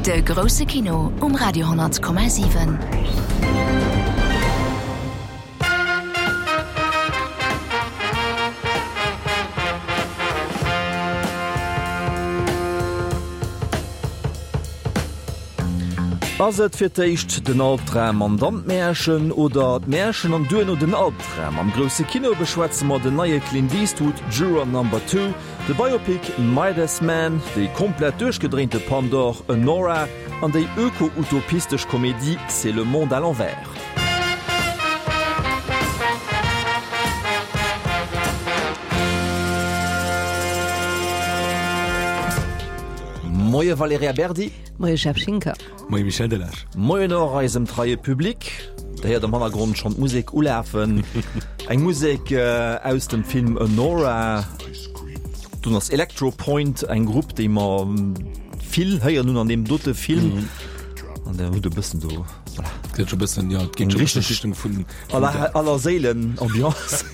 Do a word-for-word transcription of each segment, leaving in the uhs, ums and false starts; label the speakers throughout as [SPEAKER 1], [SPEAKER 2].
[SPEAKER 1] De grousse Kino um Radio honnert Komma siwen.
[SPEAKER 2] Ass et fir d'éischt den Albdram an dann d'Märchen oder d'Märchen an duerno den Albdram? Am grousse Kino beschwätze mer den neie Clint Eastwood Juror Number Two, de Biopic Midas Man, déi komplett duerchgedréinte Pandor Anora an déi öko-utopistesch Komedie C'est le monde à l'envers. Moie Valerija Berdi.
[SPEAKER 3] Moie Jeff Schinker.
[SPEAKER 4] Moie Michel Delage.
[SPEAKER 2] Moien och eisem treie Public. Der héiert am Hannergrond schonn d'Musek ulafen. Eng Musek aus dem Film Anora. Dunn ass Electropoint, eng Grupp, déi mer vill héieren hunn an deem dote Film. An der hutt e bëssen do,
[SPEAKER 4] voilà. Gëtt scho bëssen, jo, et geet scho bëssen Richtung vun
[SPEAKER 2] Aller, Allerséilen-Ambiance.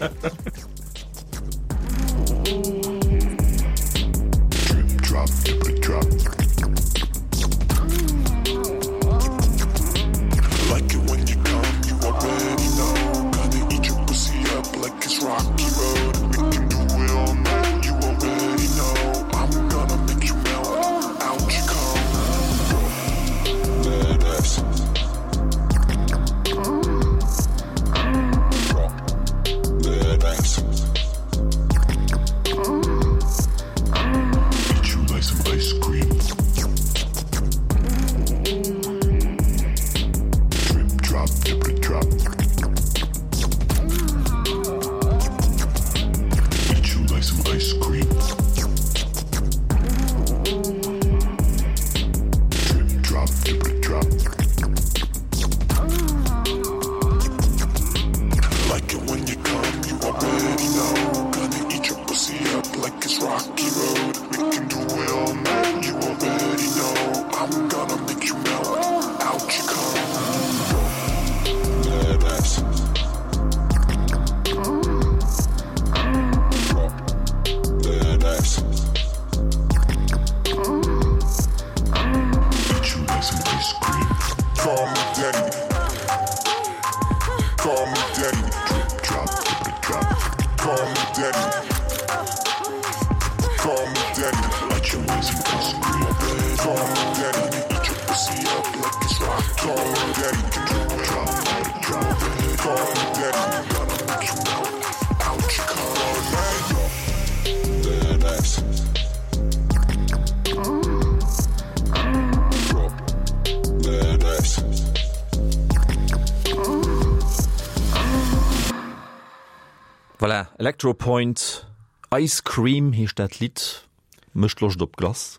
[SPEAKER 2] Voilà, Electropoint, Ice Cream heescht dat Lidd. Mécht Loscht op Glace.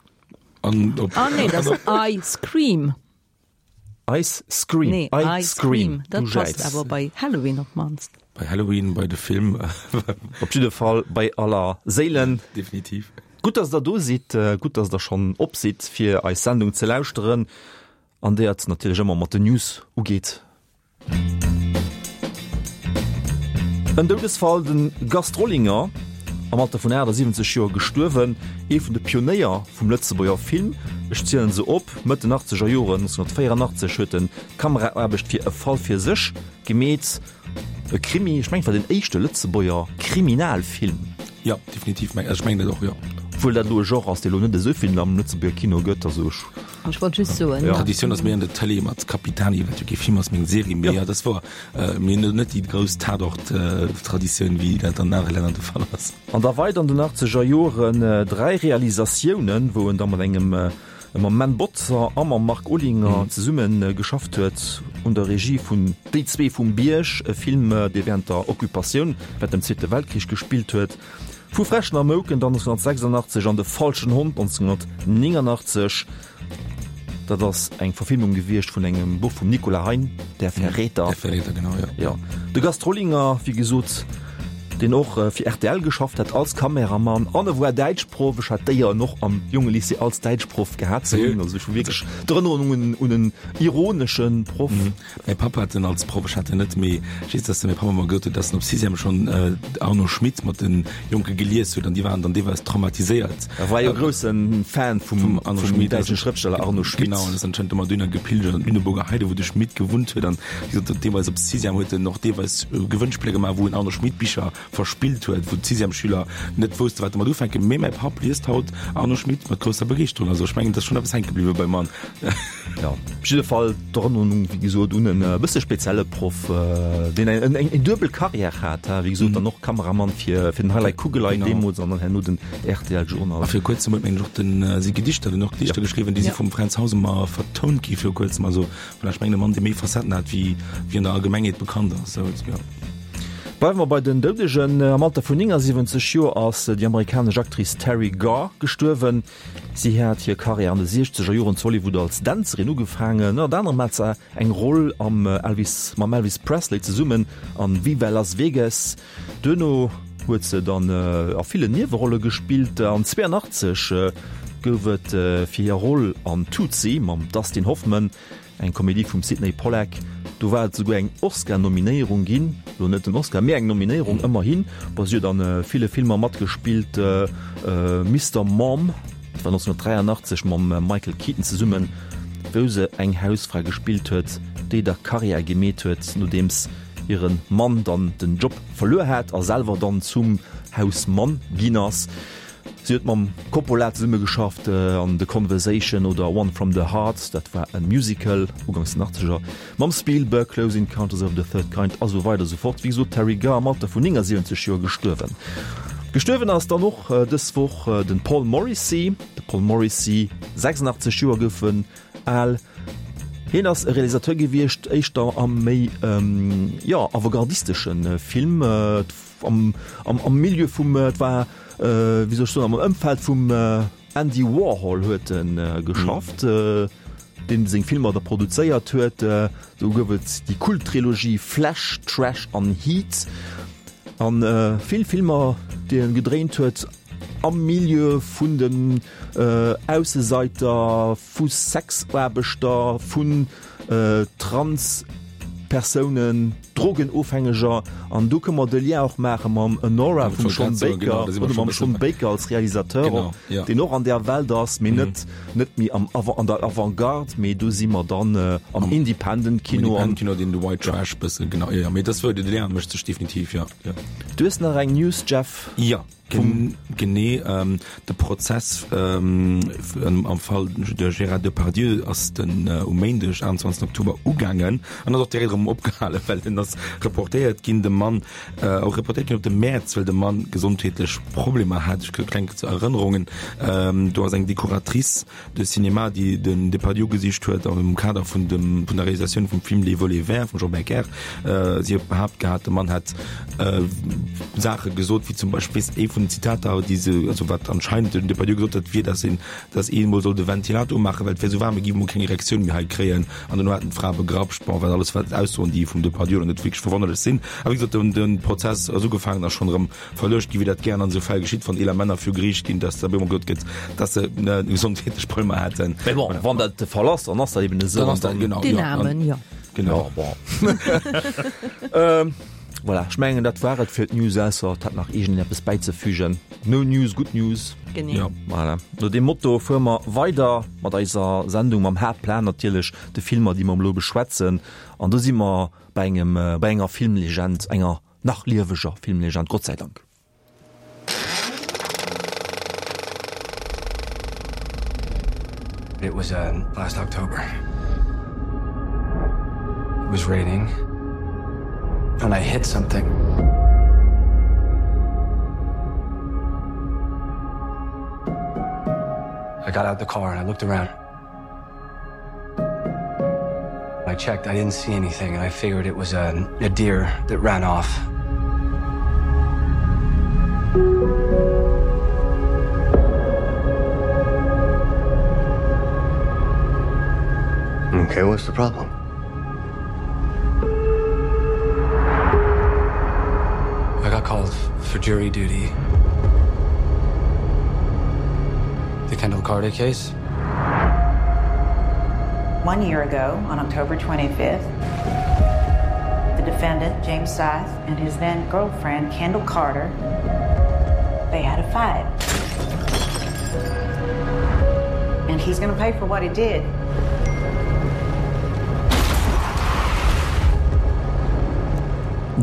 [SPEAKER 4] An op.
[SPEAKER 3] Ah nee, dat ass I Scream.
[SPEAKER 2] Ice Scream.
[SPEAKER 3] Nee,
[SPEAKER 2] I
[SPEAKER 3] I Scream.
[SPEAKER 2] Scream.
[SPEAKER 3] Dat
[SPEAKER 2] Du
[SPEAKER 3] passt
[SPEAKER 2] jäiz.
[SPEAKER 3] awer bei Halloween op d'mannst.
[SPEAKER 4] Bei Halloween, bei de Film.
[SPEAKER 2] Op jidde Fall bei aller Séilen.
[SPEAKER 4] Definitiv.
[SPEAKER 2] Gutt, dass der do sidd, gutt, dass der schonn op sidd, fir eis Sendung ze lauschteren, an där et natierlech ëmmer mat den News ugeet. En Doudesfall, de Gast Rollinger, am Alter vun achtasiwwenzeg Joer gestuerwen, ee vun de Pionéier vum Lëtzebuerger Film. Ech zielen se op, Mëtt den achtzeger Joren, nonzénhunnertvéierandachtzeg, huet en d'Kameraaarbecht fir E Fall fir sech gemeet, e Krimi, ech mengen et war den éischte Lëtzebuerger Kriminalfilm.
[SPEAKER 4] Jo, definitiv, ech mengen dat och, jo.
[SPEAKER 2] Obwuel dat elo e Genre ass, dee elo net esou vill am Lëtzebuerger Kino gëtt, also ech.
[SPEAKER 3] Ech wollt just soen.
[SPEAKER 2] Ja.
[SPEAKER 4] Traditioun ass méi an der Tëlee mat Capitani, wat jo kee Film ass, mee eng Serie, mee jo, dat ass wouer. Mir hunn net déi grouss Tatort-Traditioun, wéi dat an anere Länner de Fall ass.
[SPEAKER 2] An da weider an den achtzeger Joren dräi Realisatiounen, wou en da mat engem, mam Menn Botzer a mam Marc Olinger zesumme geschafft huet un der Regie vun Déi zwee vum Bierg, e Film, dee wärend der Occupatioun, wärend dem Zweete Weltkrich gespillt huet. Vu Fräschen a Mouken dann nonzénhunnertsechsundachtzeg an De falschen Hond nonzénhunnertnéngundachtzeg. Dat ass eng Verfilmung gewiescht vun engem Buch vum Nicolas Hein, Der Verräter.
[SPEAKER 4] Der Verräter, genau, jo.
[SPEAKER 2] Jo. De Gast Rollinger, wéi gesot, deen och fir rtl geschafft hat als Kameramann an e war Däitschproff. Ech hat d'Éier en och am Jongelycée als Däitschproff gehat ze hunn. Also ech hu wierklech d'Erënnerungen un en ironesche Proff.
[SPEAKER 4] Mäi Papp hat en als Proff, ech hat en net, mee ech weess, dass de mäi Papp ëmmer gesot huet, dass en op Sixième schonn Arno Schmidt mat de Jonke gelies huet an déi waren dann deelweis traumatiséiert.
[SPEAKER 2] E war jo grousse Fan vum däitschen Schrëftsteller Arno Schmidt.
[SPEAKER 4] Genau, an ass anscheinend ëmmer dohinner gepilgert an d'Lüneburger Heide, wou de Schmidt gewunnt huet. An wéi gesot, deelweis op Sixième huet en och deelweis Gewënnspiller gemaach, wou en Arno Schmidt Bicher verspillt huet, wou d'Sixièmesschüler net wousste wat domat ufänken. Mee mäi Papp liest haut Arno Schmidt mat grousser Begeeschterung. Also ech mengen, et ass schonn eppes hänke bliwwe beim Mann.
[SPEAKER 2] Jo, op jidde Fall d'Erënnerung, wéi gesot, un en bësse spezielle Proff, deen eng eng duebel Carrière hat, wéi gesot, dann och Kameramann fir fir den Highlight Kugelei deemools an dann herno den rtl Journal.
[SPEAKER 4] A viru kuerzem huet mengen ech och den si Gedichter, den och Gedichter geschriwwen, déi si vum Fränz Hausemer vertount gi viru kuerzem. Also voilà, ech mengen e Mann, dee méi Facetten hat, wéi wéi an der Allgemengheet bekannt ass. Sou, jo.
[SPEAKER 2] Bleiwe mer bei den Doudegen. Am Alter vun néngasiwwenzeg Joer ass déi amerikanesch Actrice Teri Garr gestuerwen. Si hat hir Karriär an de siechzeger Joren zu Hollywood als Dänzerin ugefaangen. Ënnert anerem hat se eng Roll am Elvis, mam Elvis Presley zesummen an Viva Las Vegas. Duerno huet se dann a villen Niewerolle gespillt. An zweeanachtzeg gouf et fir hir Roll an Tootsie mam Dustin Hoffman Eng Komedie vum Sydney Pollack, do war et souguer eng Oscar-Nominéierung ginn, lo net den Oscar, mee eng Nominéierung ëmmerhin. Bon, si huet a ville Filmer matgespillt, Mister Mom, dat war neunzehnhundertdräianachtzeg mam Michael Keaton zesummen, wou se eng Hausfra gespillt huet, déi da Karriär gemeet huet, nodeems hire Mann dann den Job verluer hat a selwer dann zum Hausmann ginn ass. Si huet mam Coppola zesummegeschafft an The Conversation oder One from the Heart, dat war e Musical uganks den Achtzeger, mam Spielberg, Close Encounters of the Third Kind a sou weider a sou fort. Wéi gesot, d'Teri Garr am Alter vun néngasiwwenzeg Joer gestuerwen. Gestuerwen ass dann och dës Woch de Paul Morrissey. De Paul Morrissey, sechsundachtzeg Joer gouf en al. Hien ass e Realisateur gewiescht, éischter am méi, jo, avantgardistesche Film, am, am Milieu vum, et war, wéi soll ech soen, am Ëmfeld vum Andy Warhol huet e geschafft, deen seng Filmer da produzéiert huet. Do gouf et déi Kult-Trilogie Flesh, Trash an Heat a vill Filmer, déi en gedréint huet am Milieu vun den Ausseseiter, vu Sexaarbechter, vun Trans-Persounen, Drogenofhängeger. An do kënne mer de Lien och maache mam Anora vum Sean Baker, oder mam Sean Baker als Realisateur och, deen och an där Welt ass, mee net net méi am an der Avantgarde, mee do si mer dann am Independent Kino.
[SPEAKER 4] Am Independent Kino, deen de White Trash bëssen, genau, jo, jo, mee dat wou de Lien mécht sech definitiv, jo, jo.
[SPEAKER 2] Du hues nach eng News, Jeff?
[SPEAKER 4] Jo. Genee, de Prozess am Fall de Gérard Depardieu ass den um Méindeg achtenzwanzegsten Oktober ugaangen an ass och direkt erëm opgehalen, well en ass reportéiert ginn, de Mann, och reportéiert ginn op de Mäerz, well de Mann gesondheetlech Problemer hat. Ech kleng zur Erënnerungen, do ass eng Decoratrice de Cinéma, déi den Depardieu gesicht huet am Kader vun dem vun der Realisatioun vum Film Les Volets verts vum Jean Becker. Si huet behaapt gehat, de Mann hätt Saache gesot, wéi zum Beispill ee vun den Zitater, déi se, also wat anscheinend den Depardieu gesot huet, wier, dass een, dass ee mol soll de Ventilator umaachen, well et wär esou waarm, e géif mol keng Erektioun méi hei kréien. An dono hätten d'Frae begrapscht. Bon, wat alles wat Aussoen, déi vum Depardieu elo net wierklech verwonnerlech sinn. A wéi gesot, den de Prozess ass ugefaangen a schonn erëm verluecht ginn, wéi dat gären an esou Fäll geschitt, wann eeler Männer viru Geriicht ginn, dass da op eemol gesot gëtt, dass se gesondheetlech Problemer hätten.
[SPEAKER 2] Mee bon, wann dat de Fall ass, dann ass dat eben esou.
[SPEAKER 4] Dann ass dat, genau,
[SPEAKER 3] Den Aarmen, jo.
[SPEAKER 4] Genau.
[SPEAKER 2] Ja, bon. Voilà, ech mengen, dat war et fir d'News, ausser et hätt nach iergendeen eppes bäizefügen. No news, good news.
[SPEAKER 3] Genee.
[SPEAKER 4] Ja.
[SPEAKER 2] Voilà. No deem Motto fuere mer weider mat eiser Sendung, mam Haaptplan natierlech, de Filmer, déi mer elo beschwätzen. An do si mer bei engem, bei enger Filmlegend, enger nach lieweger Filmlegend, Gott sei Dank.
[SPEAKER 5] It was uh, last October. It was raining and I hit something. I got out the car and I looked around. I checked, I didn't see anything and I figured it was a, a deer that ran off.
[SPEAKER 6] Okay, what's the problem?
[SPEAKER 5] I got called for jury duty. The Kendall Carter case?
[SPEAKER 6] One year ago, on October twenty-fifth, the defendant, James Scythe, and his then girlfriend, Kendall Carter, they had a fight. And he's gonna pay for what he did.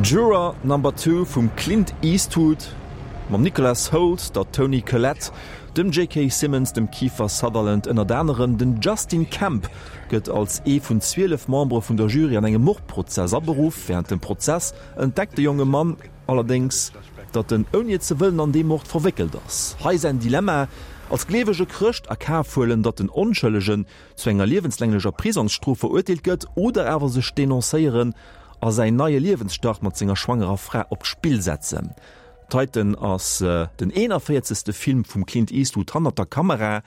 [SPEAKER 2] Juror Number Two vum Clint Eastwood mam Nicholas Hoult, der Toni Collette, dem J K Simmons, dem Kiefer Sutherland ënnert anerem. Den Justin Kemp gëtt als ee vun zwielef Membere vun der Jury an engem Mordprozess aberuff. Wärend dem Prozess entdeckt de jonge Mann allerdéngs, datt en ouni et ze wëllen an dee Mord verwéckelt ass. Hei säin Dilemma, Als gleewege Chrëscht a Kaf huelen, datt den Onschëllegen zu enger liewenslänglecher Prisongsstrof verurteelt gëtt, oder awer sech denoncéieren a säin neie Liewensstart mat senger schwangerer Fra op d'Spill setzen. Titan ass den eenanvéierzegste Film vum Clint Eastwood hannert der Kamera.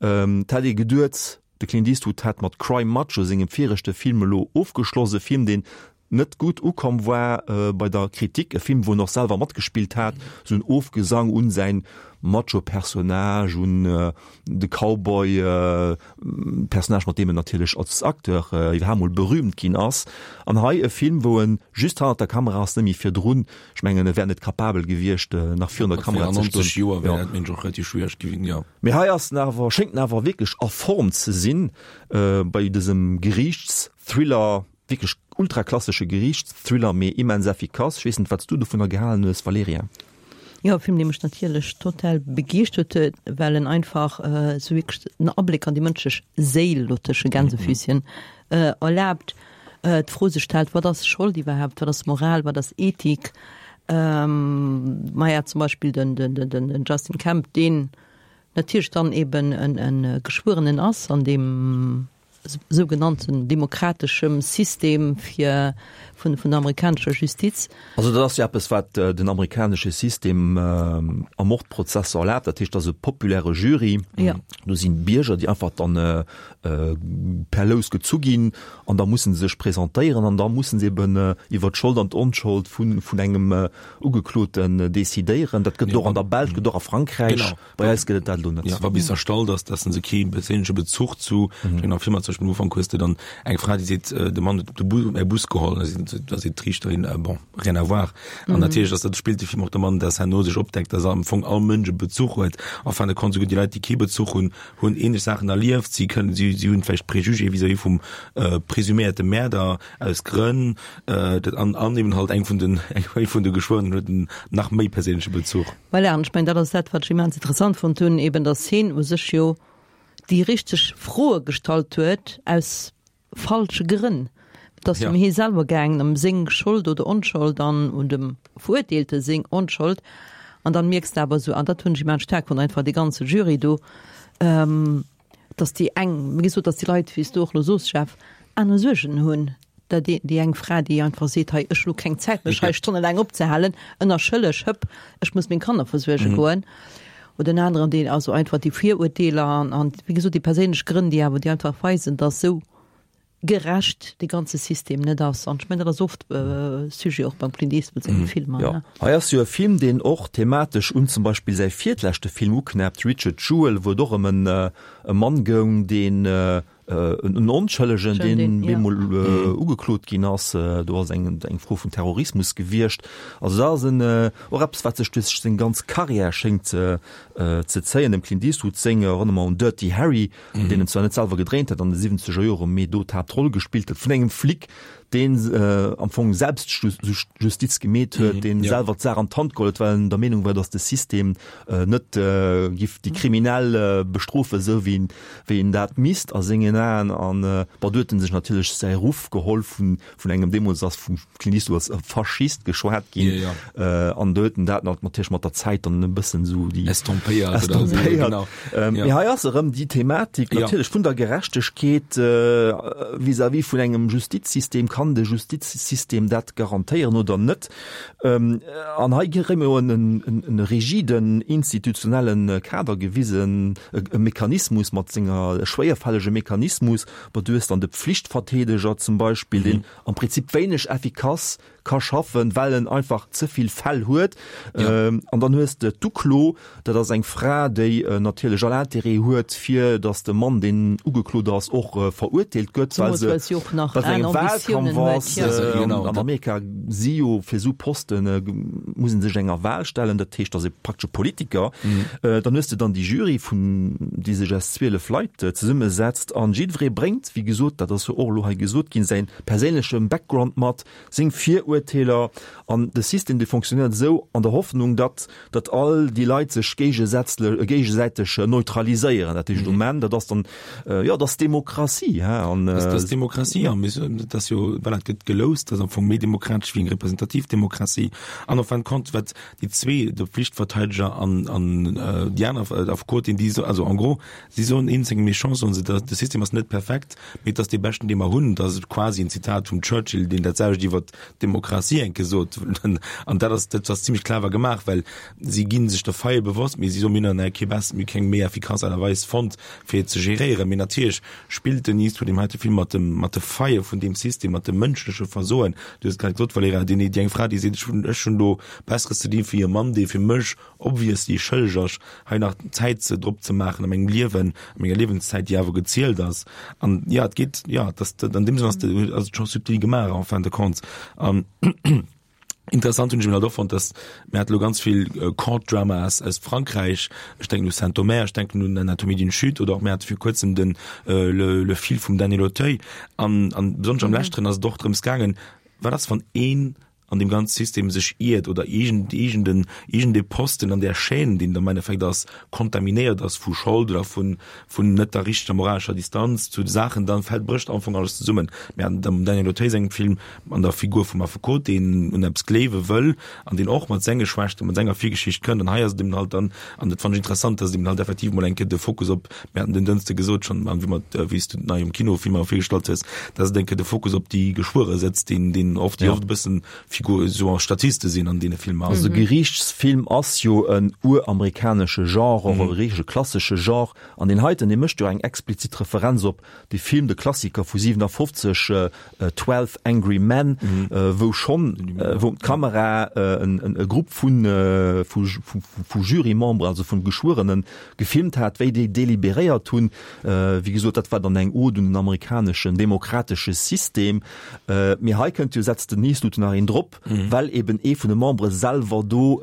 [SPEAKER 2] Et hätt ee geduet, de Clint Eastwood hätt mat Cry Macho, sengem viregte Film, elo ofgeschloss. E Film, deen net gutt ukomm war bei der Kritik, e Film, wou en och selwer matgespillt hat, esou en Ofgesang un säin Macho-Personnage, un de Cowboy-Personnage, mat deem en natierlech als Acteur iwwerhaapt mol berüümt ginn ass. An hei e Film, wou en just hannert der Kamera ass, net méi virdrun. Ech mengen, e wär net kapabel gewiescht, nach virun der Kamera ze stoen.
[SPEAKER 4] Joer wär dat mengen ech och relativ schwiereg gewien, jo.
[SPEAKER 2] Mee hei ass en awer, schéngt en awer wierklech a Form ze sinn bei dësem Geriichtsthriller. Wierklech ultraklassesche Geriichtsthriller, mee immens effikass. Ech weess net, wat s du dovunner gehalen hues, Valerija?
[SPEAKER 3] Jo, e Film, dee mech natierlech total begeeschtert huet, well en einfach esou wierklech en Abléck an déi mënschlech Séil, lo tësche Gänsefüßchen, erlaabt, d'Fro sech stellt, wat ass Schold iwwerhaapt, wat ass Moral, wat ass Ethik? Maja, zum Beispill den, den, den, den Justin Kemp, deen natierlech dann eben en, en Geschwuerenen ass an deem sougenannten demokrateschem System fir vun vun der amerikanescher Justiz.
[SPEAKER 2] Also dat ass jo eppes, wat den amerikanesche System a Mordprozesser erlaabt. Dat heescht, dat ass e populäre Jury.
[SPEAKER 3] Ja.
[SPEAKER 2] Do sinn Bierger, déi einfach dann per Lous gezu ginn an da mussen se sech presentéieren an da mussen se eben iwwer d'Schold an d'Onschold vun vun engem Ugekloten decidéieren. Dat gëtt et och an der Belsch, gëtt et och a Frankräich.
[SPEAKER 4] Genau.
[SPEAKER 2] Bei eis gëtt et dat elo net.
[SPEAKER 4] Ja, wa bis erstallt ass, dass se kee perséinleche Bezuch zu, ech mengen am Film zum Beispill am Ufank hues de dann eng Fra, déi seet, de Mann huet de Bus, mäi Bus geholl, da seet, da seet d'Riichterin, bon, rien à voir. An natierlech ass dat, spillt de Film och domat, dass herno sech opdeckt, dass am Fong all Mënsch e Bezuch huet. En fin de compte, souguer déi Leit, déi kee Bezuch hunn, hunn ähnlech Saachen erlieft, si kënnen, si, si hunn vläicht Préjugé vis-à-vis vum presuméierte Mäerder aus Grënn, dat an, an eben halt eng vun den, eng vun de Geschwuerenen huet en nach méi perséinleche Bezuch.
[SPEAKER 3] Voilà, an ech mengen, dat ass dat, wat ech immens interessant fonnt hunn, eben dass hien u sech jo déi richteg Froe gestallt huet aus falsche Grënn. Et ass
[SPEAKER 4] Ja.
[SPEAKER 3] ëm hie selwer gaangen, ëm seng Schold oder Onschold an un dem Verurteelte seng Onschold. An dann mierks de awer esou, an dat hunn ech immens staark fonnt, einfach dee ganze Jury do, ähm, dass déi eng, wéi gesot, dass déi Leit, wéi s du och elo soos, Jeff, aner Suergen hunn. Da déi, déi eng Fra, déi einfach seet, hei, ech hu lo keng Zäit, mech hei stonnelaang opzehalen, ënnerschëlleg, hëpp, ech muss meng Kanner versuerge goen. Oder en aneren, deen also einfach déi Virurteeler an, an wéi gesot, déi perséinlech Grënn, déi awer, déi einfach weisen, dass esou gerecht dee ganze System net ass. An ech mengen, dat ass oft Sujet och beim Clint Eastwood senge Filmer,
[SPEAKER 2] Jo,
[SPEAKER 3] ne?
[SPEAKER 2] hei ass jo e Film, deen och thematesch un zum Beispill säi virtleschte Film uknäppt, Richard Jewell, wou et och ëm en e Mann goung, deen en Onschëllegen, deen bemol ugeklot ginn ass. Do ass eng eng Fro vun Terrorismus gewiescht. Also dat ass en och eppes, wat sech duerch seng ganz Karriär schéngt ze ze zéien. Dem Clint Eastwood seng, erënnere mer un Dirty Harry, deen en zwar net selwer gedréint huet an de siwwenzeger Joren, mee do d'Haaptroll gespillt huet vun engem Flic, deen am Fong Selbstjustiz gemeet huet, deen selwer d'Saach an d'Hand geholl huet, well en der Meenung war, datt de System net giff déi Kriminell bestrofen, esou wéi wéi en dat misst a sengen Aen. An bon, do huet en sech natierlech säi Ruff geholl vun vun engem, deemools ass vum Clint Eastwood als e Faschist geschwat ginn, an do huet en dat natierlech mat der Zäit dann e bëssen esou déi
[SPEAKER 4] Estompéiert.
[SPEAKER 2] Estompéiert. Mee hei ass erëm déi Thematik natierlech vun der Gerechtegkeet vis-à-vis vun engem Justizsystem. Kann Kann de Justizsystem dat garantéieren oder net? An hei kréie mer jo en rigiden institutionelle Kader gewisen, e Mechanismus mat senger, e schwéierfällege Mechanismus, ma du hues dann de Pflichtverteedeger zum Beispill, deen am Prinzip wéineg effikass ka schaffen, well en einfach ze vill Fäll huet. Ja. Ähm, an dann hues de d'Uklo, dat ass eng Fra, déi äh, natierlech all Interêt huet, fir datt de Mann, deen ugeklot ass, och äh, verurteelt gëtt, well se
[SPEAKER 3] si och nach
[SPEAKER 2] well se engem
[SPEAKER 3] aner
[SPEAKER 2] Wahlkampf
[SPEAKER 3] Ambitiounen huet,
[SPEAKER 2] ass.
[SPEAKER 3] ja.
[SPEAKER 2] Äh,
[SPEAKER 4] Genau.
[SPEAKER 2] an Amerika si jo fir sou Posten äh, muss en sech enger Wahl stellen, dat heescht, ass e praktesche Politiker. Mhm. Äh, dann hues de dann déi Jury vun déi sech aus zwielef Leit äh, zesummesetzt an jiddweree bréngt, wéi gesot, dat ass jo och elo hei gesot ginn, säin perséinleche Background mat, seng Virurteeler an de System dee fonctionnéiert esou an der Hoffnung, datt datt all déi Leit sech géigesätzle géigesäiteg neutraliséieren. Dat heescht um Enn, dat ass dann jo, dat ass Demokratie, hein, an
[SPEAKER 4] Dat ass Demokratie, an dat ass jo, voilà, et gëtt geloust, dat ass am Fong méi demokratesch wéi eng representativ Demokratie. An en fin de compte, wat déi zwee, de Pflichtverteideger an an déi aner Affekotin, déi so, also en gros, si soen eenzeng méchant, soen se, de System ass net perfekt, mee et ass dee beschten, dee mer hunn. Dat ass quasi en Zitat vum Churchill, deen dat selwecht iwwer d'Demokratie enke sot. An dat ass, dat ass zimmlech clever gemaach, well si gi sech der Faille bewosst, mee si soen, mir hunn nach kee bess, mir hu keng méi effikass Aart a Weis fonnt, fir et ze geréieren. Mee natierlech spillt den Eastwood deem heite Film mat dem, mat de Faille vun deem System, mat dem mënschleche Versoen. Du hues et grad gesot, Valerija, déi, déi eng Fra, déi seet, ech hunn, ech hunn do Besseres ze dinn, fir e Mann, dee fir mech obviously schëlleg ass, hei nach Zäit ze drop ze maachen a mengem Liewen, a menger Liewenszäit, déi awer gezielt ass. An ja, et geet, ja, dat, an deem Sënn ass, ass et scho subtil gemaach en fin de compte. An interessant hunn ech eben halt och fonnt, dass mir hate lo ganz vill Court Dramas aus Frankräich, ech denken u Saint-Omer, ech denken un Anatomie d'une chute oder och mir hate vir kuerzem den Le, Le fil vum Daniel Auteuil. An, an besonnesch am leschteren ass et och drëms gaangen, wat ass wann een an deem ganze System sech iert oder iergend, iergenden, iergend ee Posten an där Chaîne, deen am Endeffekt ass, kontaminéiert ass vu Schold oder vun, vun net der richteger moralescher Distanz zu de Saachen, dann fält, brécht am Fong alles zesummen. Mir haten am Daniel Auteuil sengem Film an der Figur vum Affekot, deen un eppes gleewe wëll an deen och mat senge Schwächten, mat senger Virgeschicht kënnt. An hei ass et eben halt dann, an dat fannen ech interessant, dass et eben halt effektiv mol eng Kéier de Fokus op, mir haten den Dënschde gesot schonn, wéi mer, wéi s du nei um Kino Filmer virgestallt hues, dass et eng Kéier de Fokus op déi Geschwuere setzt, deen, deen oft, déi oft e bëssen Figur, esou Statiste sinn an deene Filmer.
[SPEAKER 2] Also de Geriichtsfilm ass jo en uramerikanesche Genre, och e richtege klassesche Genre. An deen heiten, dee mécht jo eng explizit Referenz op de Film, de Klassiker vu siwenafofzeg, Twelve Angry Men, wou schonn, wou d'Kamera e Grupp vun, vu Jurymemberen, also vun Geschwuerenen, gefilmt hat, wéi déi deliberéiert hunn. Wéi gesot, dat war dann eng Ode un den amerikaneschen demokratesche System. Mee hei kënnt jo, setzt den Eastwood nach een drop, well eben ee vun de Membere selwer do,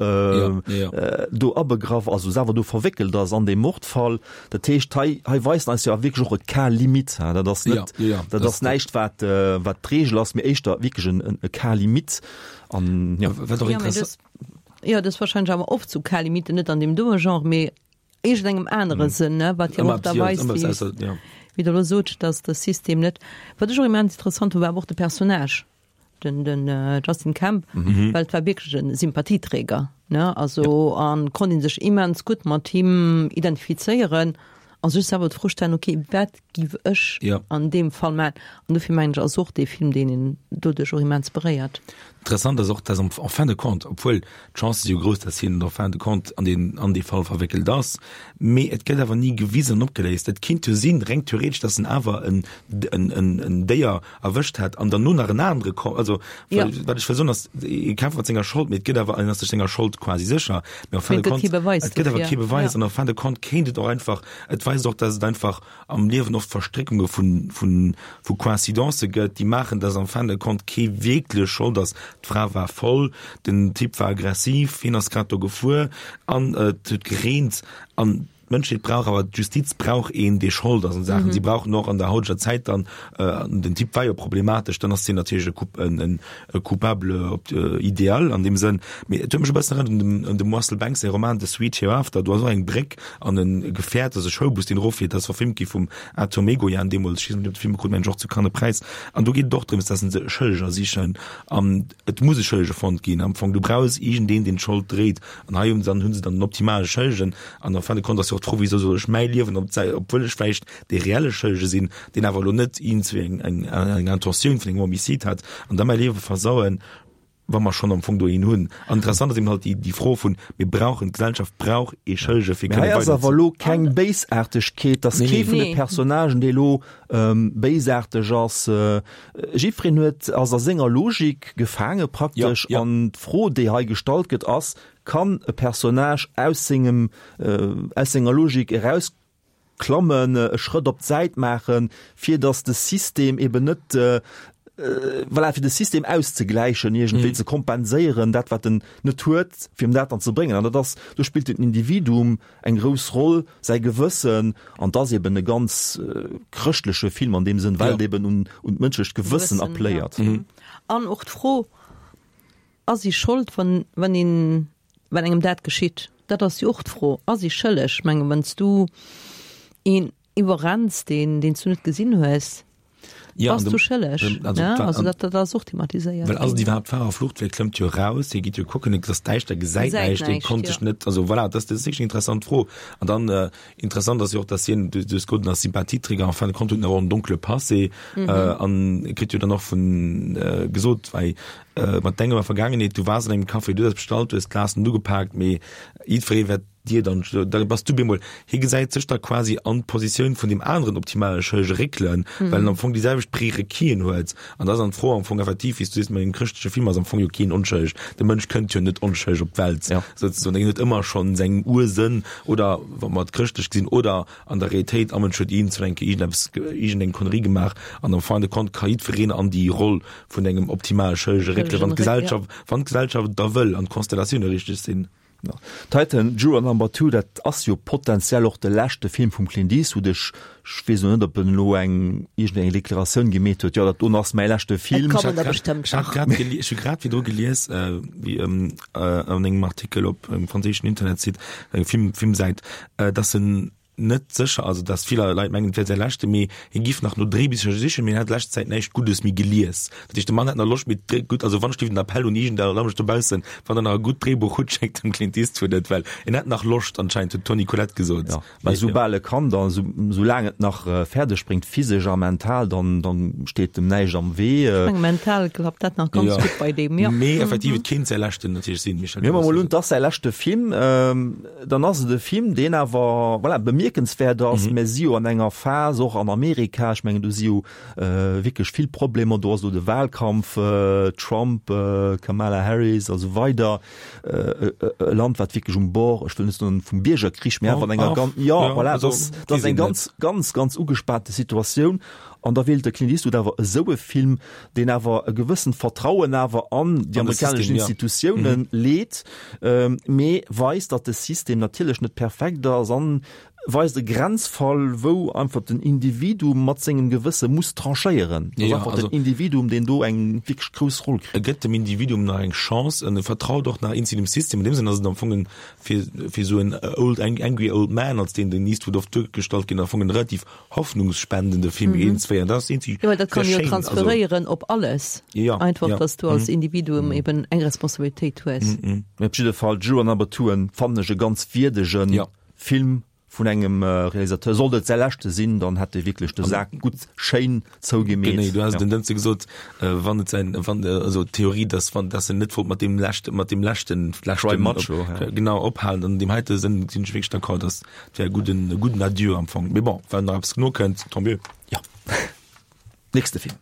[SPEAKER 2] do abegraff, also selwer do verwéckelt ass an deem Mordfall. Dat heescht, hei, hei weist en eis jo wierklech och e Cas limite. Dat ass net, dat ass näischt, wat, wat d'Regel ass, mee éischter wierklech en, e Cas limite. An,
[SPEAKER 4] ja. Wat och interessant.
[SPEAKER 3] Jo, dat ass wahrscheinlech awer oft sou Cas limite, net an deem doe Genre, mee iergendengem anere Sënn, ne, wat jo och da weist, wéi, wéi Der elo sot, dass de System net. Wat ech och immens interessant hunn, war awer och de Personnage, den, den Justin Kemp, well et war wierklech e Sympathieträger, ne, also a konnt ee sech immens gutt mat him identifizéieren a sech selwer d'Fro stellen, okay, wat giff ech an deem Fall maachen? An dofir mengen ech, ass och dee Film, deen een doduerch och immens beréiert.
[SPEAKER 4] Interessant ass och, dass en fin de compte, obwuel d'Chancë si jo grouss, dass hien en fin de compte an deen, an dee Fall verwéckelt ass, mee et gëtt awer ni gewisen an opgeléist. Et kinnt jo sinn, reng theoretesch, dass en awer en, en, en, en Déier erwëscht hätt an derno nach en anere ko-, also
[SPEAKER 3] Ja.
[SPEAKER 4] wat ech wëll soen ass, e kämpft mat senger Schold, mee et gëtt awer, en ass sech senger Schold quasi sécher, mee en fin
[SPEAKER 3] Mee
[SPEAKER 4] de
[SPEAKER 3] et gëtt
[SPEAKER 4] compte,
[SPEAKER 3] kee Beweis
[SPEAKER 4] et gëtt awer
[SPEAKER 3] dofir.
[SPEAKER 4] kee Beweis
[SPEAKER 3] Ja.
[SPEAKER 4] an en fin de compte kéint et och einfach, et weist och, dass et einfach am Liewen oft Verstréckunge vun, vun, vu Coïncidencë gëtt, déi maachen, dass en fin de compte kee wierklech Schold ass. D'Fra war voll, den Typ war aggressiv, hien ass grad do gefuer an et huet gereent an d'Mënschheet brauch awer, d'Justiz brauch een, dee Schold ass an Saachen. Si brauchen och an der hauteger Zäit dann, den Typ war jo problematesch, dann ass hien natierlech e Coup, en, e Coupable idéal an deem Sënn. Mee et huet mech e bëssen erënnert un dem, un dem Russell Banks säi Roman The Sweet Hereafter. Do ass och eng Bréck an e Gefäert, also e Schoulbus, deen erofflitt. Dat ass verfilmt gi vum Atom Egoyan deemools. Ech weess net, ob de Film krut, mengen ech, och zu Cannes e Präis. An do geet et och drëms, dass se Schëlleger sichen an et muss e Schëllege fonnt ginn. Am Fong, du brauchs iergendeen, deen d'Schold dréit. An hei hunn se dann, hunn se dann den optimale Schëllegen. An en fin de compte ass jo och einfach d'Fro, wieso soll ech mäi Liewen op d'Säit, obwuel ech vläicht dee reelle Schëllege sinn, deen awer elo net iergendwéi eng, eng, eng Intentioun vun engem Homicide hat, an da mäi Liewe versauen, wa mer schonn am Fong do een hunn. An interessant ass eben halt déi, déi Fro vun, mir brauchen, d'Gesellschaft brauch ee Schëllege fir
[SPEAKER 2] Mee hei
[SPEAKER 4] kënne
[SPEAKER 2] ass awer
[SPEAKER 4] weider ze.
[SPEAKER 2] elo keng Béisaartegkeet, dass
[SPEAKER 4] Nee,
[SPEAKER 2] kee
[SPEAKER 4] nee.
[SPEAKER 2] vun de
[SPEAKER 3] Nee.
[SPEAKER 2] Personnagen, dee elo béisaarteg ass. Jiddwereen huet, ass a senger Logik gefaange praktesch.
[SPEAKER 4] Ja, ja.
[SPEAKER 2] An d'Fro, déi hei gestallt gëtt, ass, Kann e Personnage aus sengem, aus senger Logik erausklammen, e Schrëtt op d'Säit maachen, fir datt de System eben net, voilà, fir de System auszegläichen, iergendwéi ze kompenséieren, dat wat en net huet, fir em dat dann ze bréngen. An dat ass, do spillt den Individuum eng grouss Roll, säi Gewëssen, an et ass eben e ganz chrëschtleche Film an deem Sënn, well et eben un, un d'mënschlecht Gewëssen
[SPEAKER 3] Gewëssen,
[SPEAKER 2] appelléiert.
[SPEAKER 3] ja. An och d'Fro, Ass ee Schold, wann, wann een, wann engem dat geschitt? Dat ass jo och d'Fro, Ass ee schëlleg? Ech mengen, wann s du een iwwerrenns, deen, deen s du net gesinn hues,
[SPEAKER 4] Ja,
[SPEAKER 3] bass
[SPEAKER 4] an
[SPEAKER 3] du
[SPEAKER 4] dem,
[SPEAKER 3] schëlleg.
[SPEAKER 4] dem, also,
[SPEAKER 3] Ne?
[SPEAKER 4] wa,
[SPEAKER 3] Also
[SPEAKER 4] an,
[SPEAKER 3] dat, dat ass och thematiséiert
[SPEAKER 4] well ass et
[SPEAKER 3] ginn.
[SPEAKER 4] iwwerhaapt Fahrerflucht? Well e klëmmt jo raus, hie geet jo kucken, et ass däischter, gesäit
[SPEAKER 3] Gesäit
[SPEAKER 4] näischt, hie
[SPEAKER 3] näischt,
[SPEAKER 4] konnt
[SPEAKER 3] jo.
[SPEAKER 4] sech net, also voilà, dat, dat ass wierklech eng interessant Fro. An dann, äh, interessant ass jo och, dass hien, du, du hues gesot, en ass Sympathieträger, en fin de compte huet en awer och en donkle Passé, äh, an e kritt jo dann och vun, äh, gesot, wei, äh, mat denger Vergaangenheet, du waars an engem Café, du hues bestallt, du hues d'Glasen ugepaakt, mee jiddweree wäert dir dann, da bass du bemol, hie gesäit sech da quasi an d'Positioun vun deem aneren optimale Schëllege réckelen, well en am Fong déi selwecht Prérequisen huet. An da ass dann d'Fro am Fong effektiv, wéi s du sees, mat engem chrëschtleche Film ass am Fong jo keen onschëlleg. De Mënsch kënnt jo net onschëlleg op d'Welt,
[SPEAKER 2] Ja.
[SPEAKER 4] souzesoen. Hien huet ëmmer schonn seng Ursënn oder, wa mer et chrëschtlech gesinn, oder an der Realitéit, am Mënsch huet iergendzwou eng Kéier iergendeppes, iergendeng Connerie gemaach an am fin de compte ka jiddwereen an déi Roll vun engem optimale Schëllege réckelen, wann
[SPEAKER 3] Schëllegen réck, ja.
[SPEAKER 4] d'Gesellschaft, wann d'Gesellschaft et da wëll an d'Konstellatioune richteg sinn.
[SPEAKER 2] Ja. Titan, Juror Number Two, dat ass jo potenziell och de leschte Film vum Clint Eastwood. Ech ech weess elo net, ob en elo eng iergendeng Deklaratioun gemeet huet, jo dat doen ass mäi leschte
[SPEAKER 3] Et
[SPEAKER 2] Film.
[SPEAKER 3] kommen der bestëmmt
[SPEAKER 4] Ech hat
[SPEAKER 3] nach.
[SPEAKER 4] grad geli ech hu grad virdru gelies, äh, wéi ähm, äh, an engem Artikel op engem franséischen Internetsite, eng Film Filmsäit, äh, dass en net sécher, also dass vill Leit mengen, et wär säi leschte, mee hie giff nach no Dréibicher sichen, mee hien hätt lescht Zäit näischt Guddes méi gelies. Dat heescht, de Mann hätt nach Loscht, mee d'Dréi gutt, also wann ech den Appell un iergend Leit dobaussen, wann der nach e gutt Dréibuch hutt, schéckt dem Clint Eastwood et, well en hätt nach Loscht anscheinend, huet d'Toni Collette gesot.
[SPEAKER 2] Ja, mee soubal e kann, dann, sou, soulaang et nach fäerdeg bréngt, physesch a mental, dann, dann steet em näischt am Wee.
[SPEAKER 3] Ech menge mental klappt dat nach ganz
[SPEAKER 4] Ja.
[SPEAKER 3] gutt bei deem, jo.
[SPEAKER 4] Mee effektiv, et kéint säi leschten natierlech sinn, Michel.
[SPEAKER 2] Mir mol un, et ass säi leschte Film, dann ass et e Film, deen awer, voilà, bemierkenswäert ass. Mir si jo an enger Phas, och an Amerika, ech mengen do si jo wierklech vill Problemer, do ass elo de Wahlkampf, Trump, Kamala Harris a sou weider, e Land wat wierklech um Bord, ech wëll net soen vum Biergerkrich, mä awer an enger ganz, jo voilà, dat ass, dat ass eng ganz, ganz, ganz ugespaante Situatioun. An da wielt de Clint Eastwood awer esou e Film, deen awer e gewëssent Vertrauen awer an déi amerikanesch Institutiounen leet, mee weist, datt de System natierlech net perfekt ass an weist e Grenzfall, wou einfach den Individuum mat sengem Gewësse muss tranchéieren. Dat ass einfach den Individuum, deen do eng wierklech grouss Roll
[SPEAKER 4] kritt. E gëtt dem Individuum nach eng Chance an e vertraut och nach eenzi dem System. An deem Sënn ass et am Fong en, fir, fir esou en old, angry old man, als deen den Eastwood oft duergestallt ginn, am Fong en relativ hoffnungsspendende Film eens wéi an dat ass eenzi
[SPEAKER 3] Jo, well dat
[SPEAKER 4] sehr
[SPEAKER 3] kann een jo
[SPEAKER 4] schéin, also
[SPEAKER 3] transferéieren op alles.
[SPEAKER 4] Ja,
[SPEAKER 3] Einfach,
[SPEAKER 4] ja.
[SPEAKER 3] dass du als Individuum eben eng Responsabilitéit hues.
[SPEAKER 2] Mee op jidde Fall, Juror Number Two fannen ech e ganz wierdege
[SPEAKER 4] Ja.
[SPEAKER 2] Film vun engem Realisateur. Sollt et säi leschte sinn, dann hätt e wierklech de Sak gutt schéin zougemeet.
[SPEAKER 4] Genee, du has den Dënschde gesot, wann et säin, wann, also d'Theorie, dass wann, dass en net wollt mat deem leschte, mat deem leschten,
[SPEAKER 2] Cry
[SPEAKER 4] leschten,
[SPEAKER 2] Macho, ja.
[SPEAKER 4] genau, ophalen. An deem heite Sënn sinn ech wierklech d'accord, dass et wär e gudden, e gudden Adieu am Fong. Mee bon, wann nach eppes nokënnt, tant mieux.
[SPEAKER 2] Ja. Nächste Film.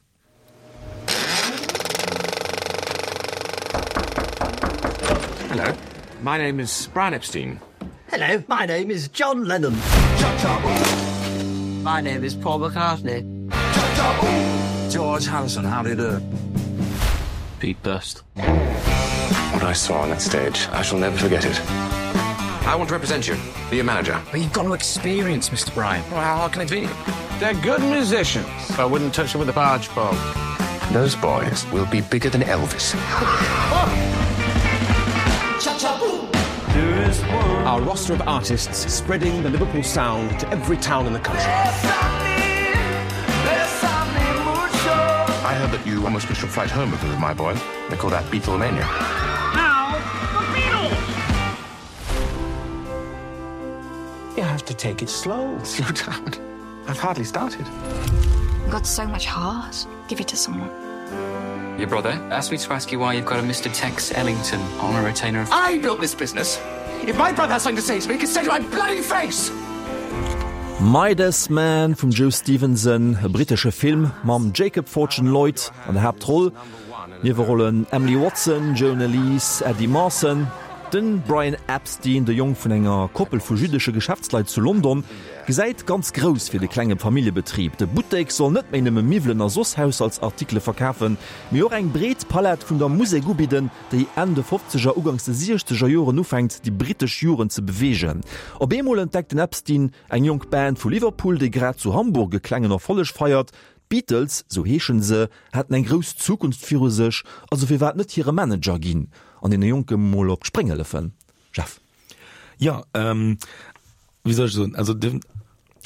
[SPEAKER 7] Hello, my name is Brian Epstein.
[SPEAKER 8] Hello, my name is John Lennon. My name is Paul McCartney.
[SPEAKER 7] George Harrison, how do you do? Pete Best. What I saw on that stage, I shall never forget it. I want to represent you, be your manager.
[SPEAKER 5] But you've got no experience, Mister Bryan.
[SPEAKER 7] Well, how hard can it be? They're good musicians. I wouldn't touch them with a barge pole. Those boys will be bigger than Elvis.
[SPEAKER 9] Our roster of artists spreading the Liverpool sound to every town in the country.
[SPEAKER 7] I heard that you almost missed your flight home because of my boy. They call that Beatlemania.
[SPEAKER 10] Now, the Beatles!
[SPEAKER 9] You have to take it slow.
[SPEAKER 7] Slow down. I've hardly started.
[SPEAKER 1] You've got so much heart. Give it to someone.
[SPEAKER 5] Your brother asked me to ask you why you've got a Mr. Tex Ellington on a retainer of
[SPEAKER 9] I built this business. If my brother has something to say to me, he can say to my bloody face.
[SPEAKER 2] Midas Man vum Joe Stevenson, e brittesche Film mam Jacob Fortune Lloyd an der Haaptroll. Niewerollen Emily Watson, Joan Elise, Eddie Marsan. Den Brian Epstein, de Jong vun enger Koppel vu jüdesche Geschäftsleit zu London, gesäit ganz grouss fir de klenge Familljebetrib. De Buttek soll net méi nëmme Miwwelen a soss Haushaltsartikele verkafen, mee och eng breet Palett vun der Musek ubidden, déi Enn de fofzeger, uganks de siechzeger Joren ufänkt, déi brittesch Jugend ze beweegen. Op eemol entdeckt den Epstein eng jonk Band vu Liverpool, déi grad zu Hamburg e klengen Erfolleg feiert. D'Beatles, sou heeschen se, hätten eng grouss Zukunft viru sech, also firwat net hire Manager ginn an deene Jonke mol op d'Spréng hëllefen? Jeff.
[SPEAKER 4] Jo, wéi soll ech soen, also de,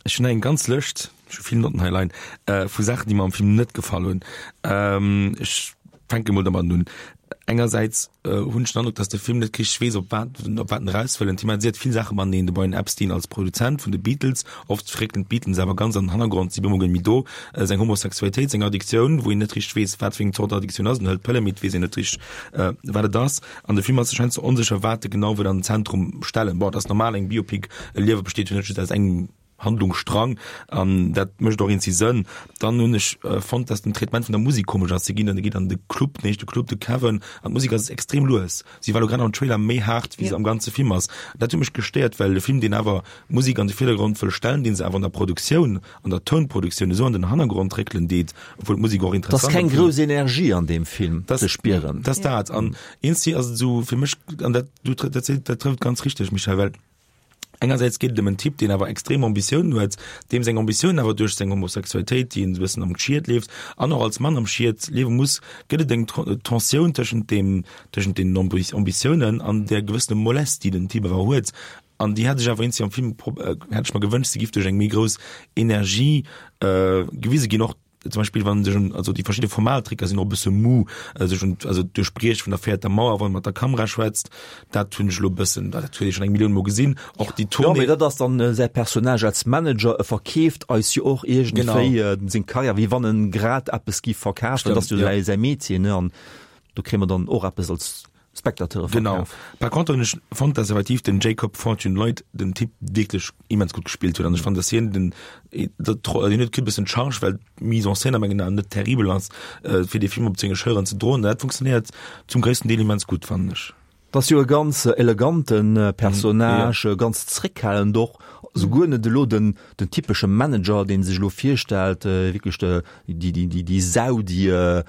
[SPEAKER 4] ech hunn eng ganz Lëscht, ech hu vill Notten hei leien, vu Saachen, déi mer am Film net gefall hunn. Ech fänke mol domadden un. Engersäits hunn ech den Androck, dass de Film net richteg weess, op wat, op wat en eraus wëll. En thematiséiert vill Saache mateneen, de Brian Epstein als Produzent vun de Beatles, oft réckelen d'Beatles awer ganz an den Hannergrond, si bemol guer net méi do, seng Homosexualitéit, seng Addiktioun, wou een net richteg weess, wat fir eng Zort Addiktioun ass, en hëlt Pëlle, mee et weess een net richteg, wat et ass. An de Film ass sech heiansdo onsécher, wat e genau wëll an den Zentrum stellen. Bon, et ass normal, eng Biopic, e Liewe besteet jo net just aus engem Handlungsstrang an dat mécht och eenzi Sënn. Dann hunn ech fonnt, dass den Traitement vun der Musek komesch ass. Si ginn an, geet an de Club, den éischte Club, de Cavern, an d'Musek ass extrem lues. Si war elo grad am Trailer méi haart, wéi se am ganze Film ass. Dat huet mech gestéiert, well de Film, deen awer d'Musek an de Virdergrond wëll stellen, dee se awer an der Produktioun, an der Tounproduktioun esou an den Hannergrond réckelen deet, obwuel d'Musek och
[SPEAKER 2] Et ass
[SPEAKER 4] interessant
[SPEAKER 2] keng
[SPEAKER 4] am Film
[SPEAKER 2] grouss Energie an deem Film
[SPEAKER 4] Das,
[SPEAKER 2] ze spieren.
[SPEAKER 4] das dat. An eenzi ass et esou fir mech, an dat, du, dat, dat trëfft ganz richteg, Michèle, well Engersäits geet et ëm en Typ, deen awer extrem Ambitiounen huet, deem seng Ambitiounen awer duerch seng Homosexualitéit, déi en esou e bëssen am Schiet leeft, an och als Mann am Schiet liewe muss, gëtt et eng Tensioun tëschent deem, tëschent deenen Ambitiounen an där gewëssene Mollesse, déi den Typ awer huet. An déi hätt ech awer eenzi am Film, hätt ech mer gewënscht, se giff duerch eng méi grouss Energie gewise ginn, och zum Beispill wann sech un, also déi verschidde Formaltricker sinn och e bësse mou, sech un, also d'Duerchbriech vun der véierter Mauer, wann e mat der Kamera schwätzt, dat hunn ech elo e bëssen, dat huet ee schonn eng Millioun mol gesinn, och déi
[SPEAKER 2] Jo, mee
[SPEAKER 4] Tournée.
[SPEAKER 2] dat ass dann säi Personnage als Manager, e verkeeft eis jo och iergendwéi
[SPEAKER 4] Genau.
[SPEAKER 2] seng Karriär, wéi wann en grad eppes giff verkafen, dat ass
[SPEAKER 4] Stëmmt,
[SPEAKER 2] jo
[SPEAKER 4] jo.
[SPEAKER 2] säi Métier, ne, an do kréie mer dann och eppes als Spectateure
[SPEAKER 4] Genau.
[SPEAKER 2] verkaf.
[SPEAKER 4] Par contre hunn ech fonnt, dass effektiv den Jacob Fortune Lloyd den Typ wierklech immens gutt gespillt huet an ech fand, dass hien den, dat, hien huet e bëssen d'Charge, well d'Mise en scène a mengen Aen net terribel ass, fir dee Film op senge Schëlleren ze droen. Dat funktionéiert zum gréissten Deel immens gutt, fannen ech.
[SPEAKER 2] 't ass jo e ganz elegante Personnage, ganz zréckhalend och, souguer net elo den den typesche Manager, dee sech elo virstellt, wierklech de déi déi déi déi Sau, déi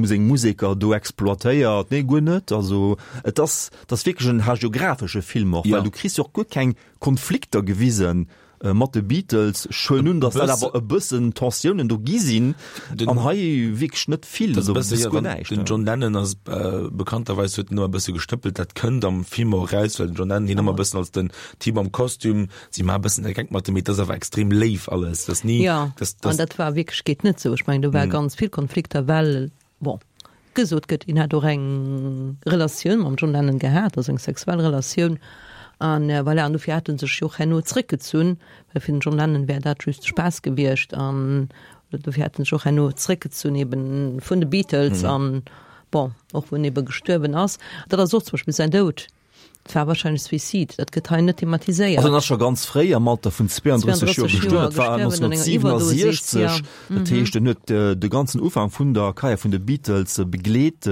[SPEAKER 2] seng Museker do exploitéiert. Nee, guer net. Also et ass et ass wierklech en hagiografesche Film och, well du kriss jo och guer keng Konflikter gewisen mat de Beatles. Ech huelen un, datt dat awer e bëssen Tensiounen do gi sinn, an hei wierklech net vill, also bis guer näischt.
[SPEAKER 4] Den John Lennon ass bekannterweis huet en ëmmer e bësse gestëppelt, dat kënnt am Film och eraus, well den John Lennon hien ëmmer e bëssen als den Typ am Kostüm, si maache e bëssen de Geck mat em, mee et ass awer extrem léif alles, dat ass ni,
[SPEAKER 3] Jo, an dat war wierklech, geet net esou. Ech mengen, do war ganz vill Konflikter, well, bon, gesot gëtt, hien hätt och eng Relatioun mam John Lennon gehat, also eng sexuell Relatioun, an voilà, an dofir hätt en sech jo och herno zréckgezunn, well fir den John Lennon wär dat just Spaass gewiescht, an dofir hätt en sech och herno zréckgezunn eben vun de Beatles, an bon, och wou en ebe gestuerwen ass. Dat ass och zum Beispill säin Doud. Et war wahrscheinlech Suicide, dat gëtt hei net thematiséiert.
[SPEAKER 2] Also en ass scho ganz fréi am Alter vun zweiunddrësseg Joer gestuerwen, dat war nonzénhunnertsiewenundsechzeg, dat heescht en huet de ganzen Ufank vun der Karriär vun de Beatles begleet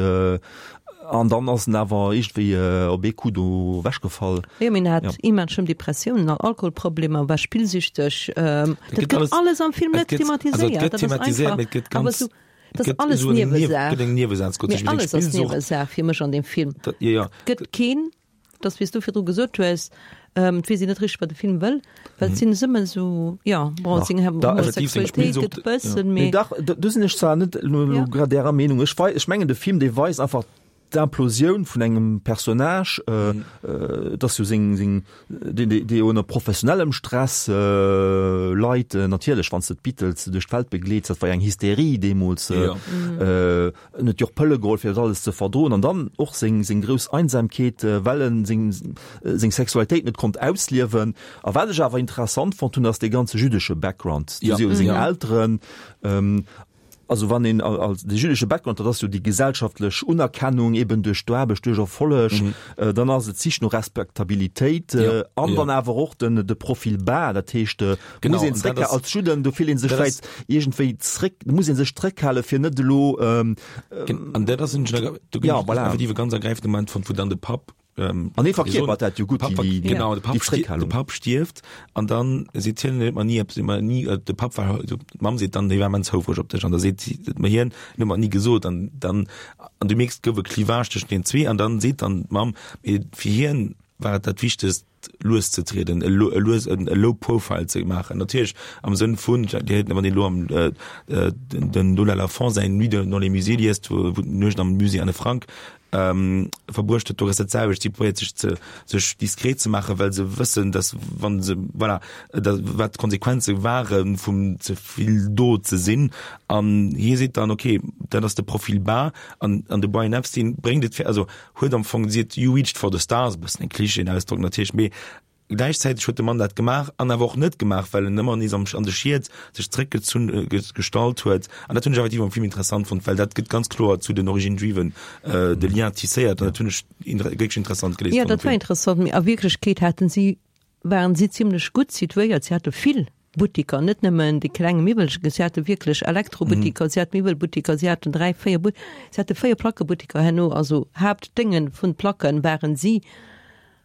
[SPEAKER 2] an dann ass en awer iergendwéi op ee Coup do ewechgefall.
[SPEAKER 3] Jo, mee en hat immens schlëmm Depressiounen an Alkoholproblemer, war spillsüchteg. Dat gëtt alles am Film net thematiséiert. Dat ass einfach awer esou, dat ass alles Niewesaach. Mee alles ass Niewesaach fir mech an deem Film. Et gëtt keen. Dass, wéi s du virdru gesot hues, et weess een net richteg, wat de Film wëll, well et sinn ëmmer esou, jo, bon, seng Homosexualitéit gëtt e bëssen, mee.
[SPEAKER 2] Mee dach, do sinn ech zwar net elo grad därer Meenung. Ech wei, ech mengen, de Film, dee weist einfach d'Implosioun vun engem Personnage, et ass jo seng, seng, deen, dee jo ënner professionellem Stress leit, natierlech, wann s de d'Beatles duerch d'Welt begleets, dat war jo eng Hysterie deemools, en huet jo och Pëlle geholl, fir dat alles ze verdroen, an dann och seng, seng grouss Einsamkeet, well en seng, seng Sexualitéit net konnt ausliewen. A wat ech awer interessant fonnt hunn, ass dee ganze jüddesche Background, do si jo seng Elteren, Also wann een als de jüdesche Background, dat ass jo déi gesellschaftlech Unerkennung eben duerch d'Aarbecht, duerch Erfolleg, dann ass et d'Sich no Respektabilitéit an dann awer och den de Profil bas, dat heescht muss een zréck als Judden, do fillt ee sech vläicht iergendwéi zréck, do muss ee sech zréckhale fir net elo.
[SPEAKER 4] An dat ass, do voilà, effektiv e ganz ergräifende Moment fonnt, wou dann de Papp
[SPEAKER 2] Ähm, an hie verkierpert dat jo gutt,
[SPEAKER 4] déi, déi, genau, de Papp, déi de Papp stierft an dann seet hien huet mer ni eppes immer nie äh, de Papp war also, d'Mamm seet dann, hie war immens houfreg op dech an da seet si mer hien huet mer ni gesot an dann an du mierks gouf e Clivage tëschent den zwee an dann seet dann d'Mamm mee fir hien war et dat Wichtegst lues ze trieden, e lo, e lues en e low profile ze maachen. Natierlech am Sënn vun, Dir huet wann Dir elo am äh, den, den Lola Lafon säin Nuit dans les musées liest, wou, wou d'Nuecht am Musée Anne Frank ähm, verbruecht huet, do ass dat selwecht. Si probéiert sech ze, sech diskret ze maachen, well se wëssen, dass wann se, voilà, da, wat d'Konsequenze ware vum ze vill do ze sinn. An hie seet dann, okay, dat ass de Profil bas an, an de Brian Epstein bréngt et, also huet am Fong seet, you reached for the stars, e bëssen en Klischee-Ausdrock natierlech, mee gläichzäiteg huet de Mann dat gemaach an awer och net gemaach, well en ëmmer nees am, an de Schied sech zréckgezunn, gestallt huet. An dat hunn ech effektiv am Film interessant fonnt, well dat gëtt ganz kloer zu den Origines juives de Lien tisséiert an dat hunn ech wierklech interessant
[SPEAKER 3] geléist fonnt. Jo, dat war interessant, mee a Wierklechkeet haten si, waren si zimlech gutt situéiert. Si hate vill Buttiker, net nëmmen déi kleng Miwwelchen, si hate wierklech Elektrobuttiker, si haten Miwwelbuttiker, si haten dräi, véier But, si hate véier Plackebuttiker herno, also Haaptdénge vun Placken waren si.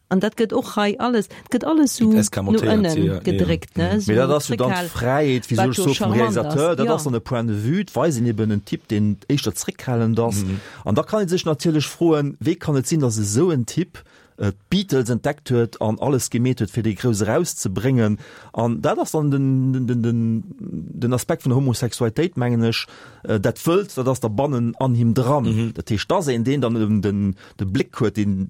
[SPEAKER 3] An dat gëtt och hei alles, et gëtt alles esou no ënnen gedréckt, ne,
[SPEAKER 2] esou Mee dat ass jo dann d'Fräiheet, wéi soll ech soen, vum Realisateur, dat ass dann e Point de vue, et weist een eben en Typ, deen éischter zréckhalend ass. An da kann ee sech natierlech froen, wéi kann et sinn, datt esou en Typ d'Beatles entdeckt huet an alles gemeet huet, fir déi grouss erauszebréngen. An dat ass dann den, den, den, den Aspekt vun der Homosexualitéit, mengen ech, dat wëllt, dat ass da bannen an him dran. Mhm. Dat heescht, dass een deen dann eben den, de Bléck huet, den,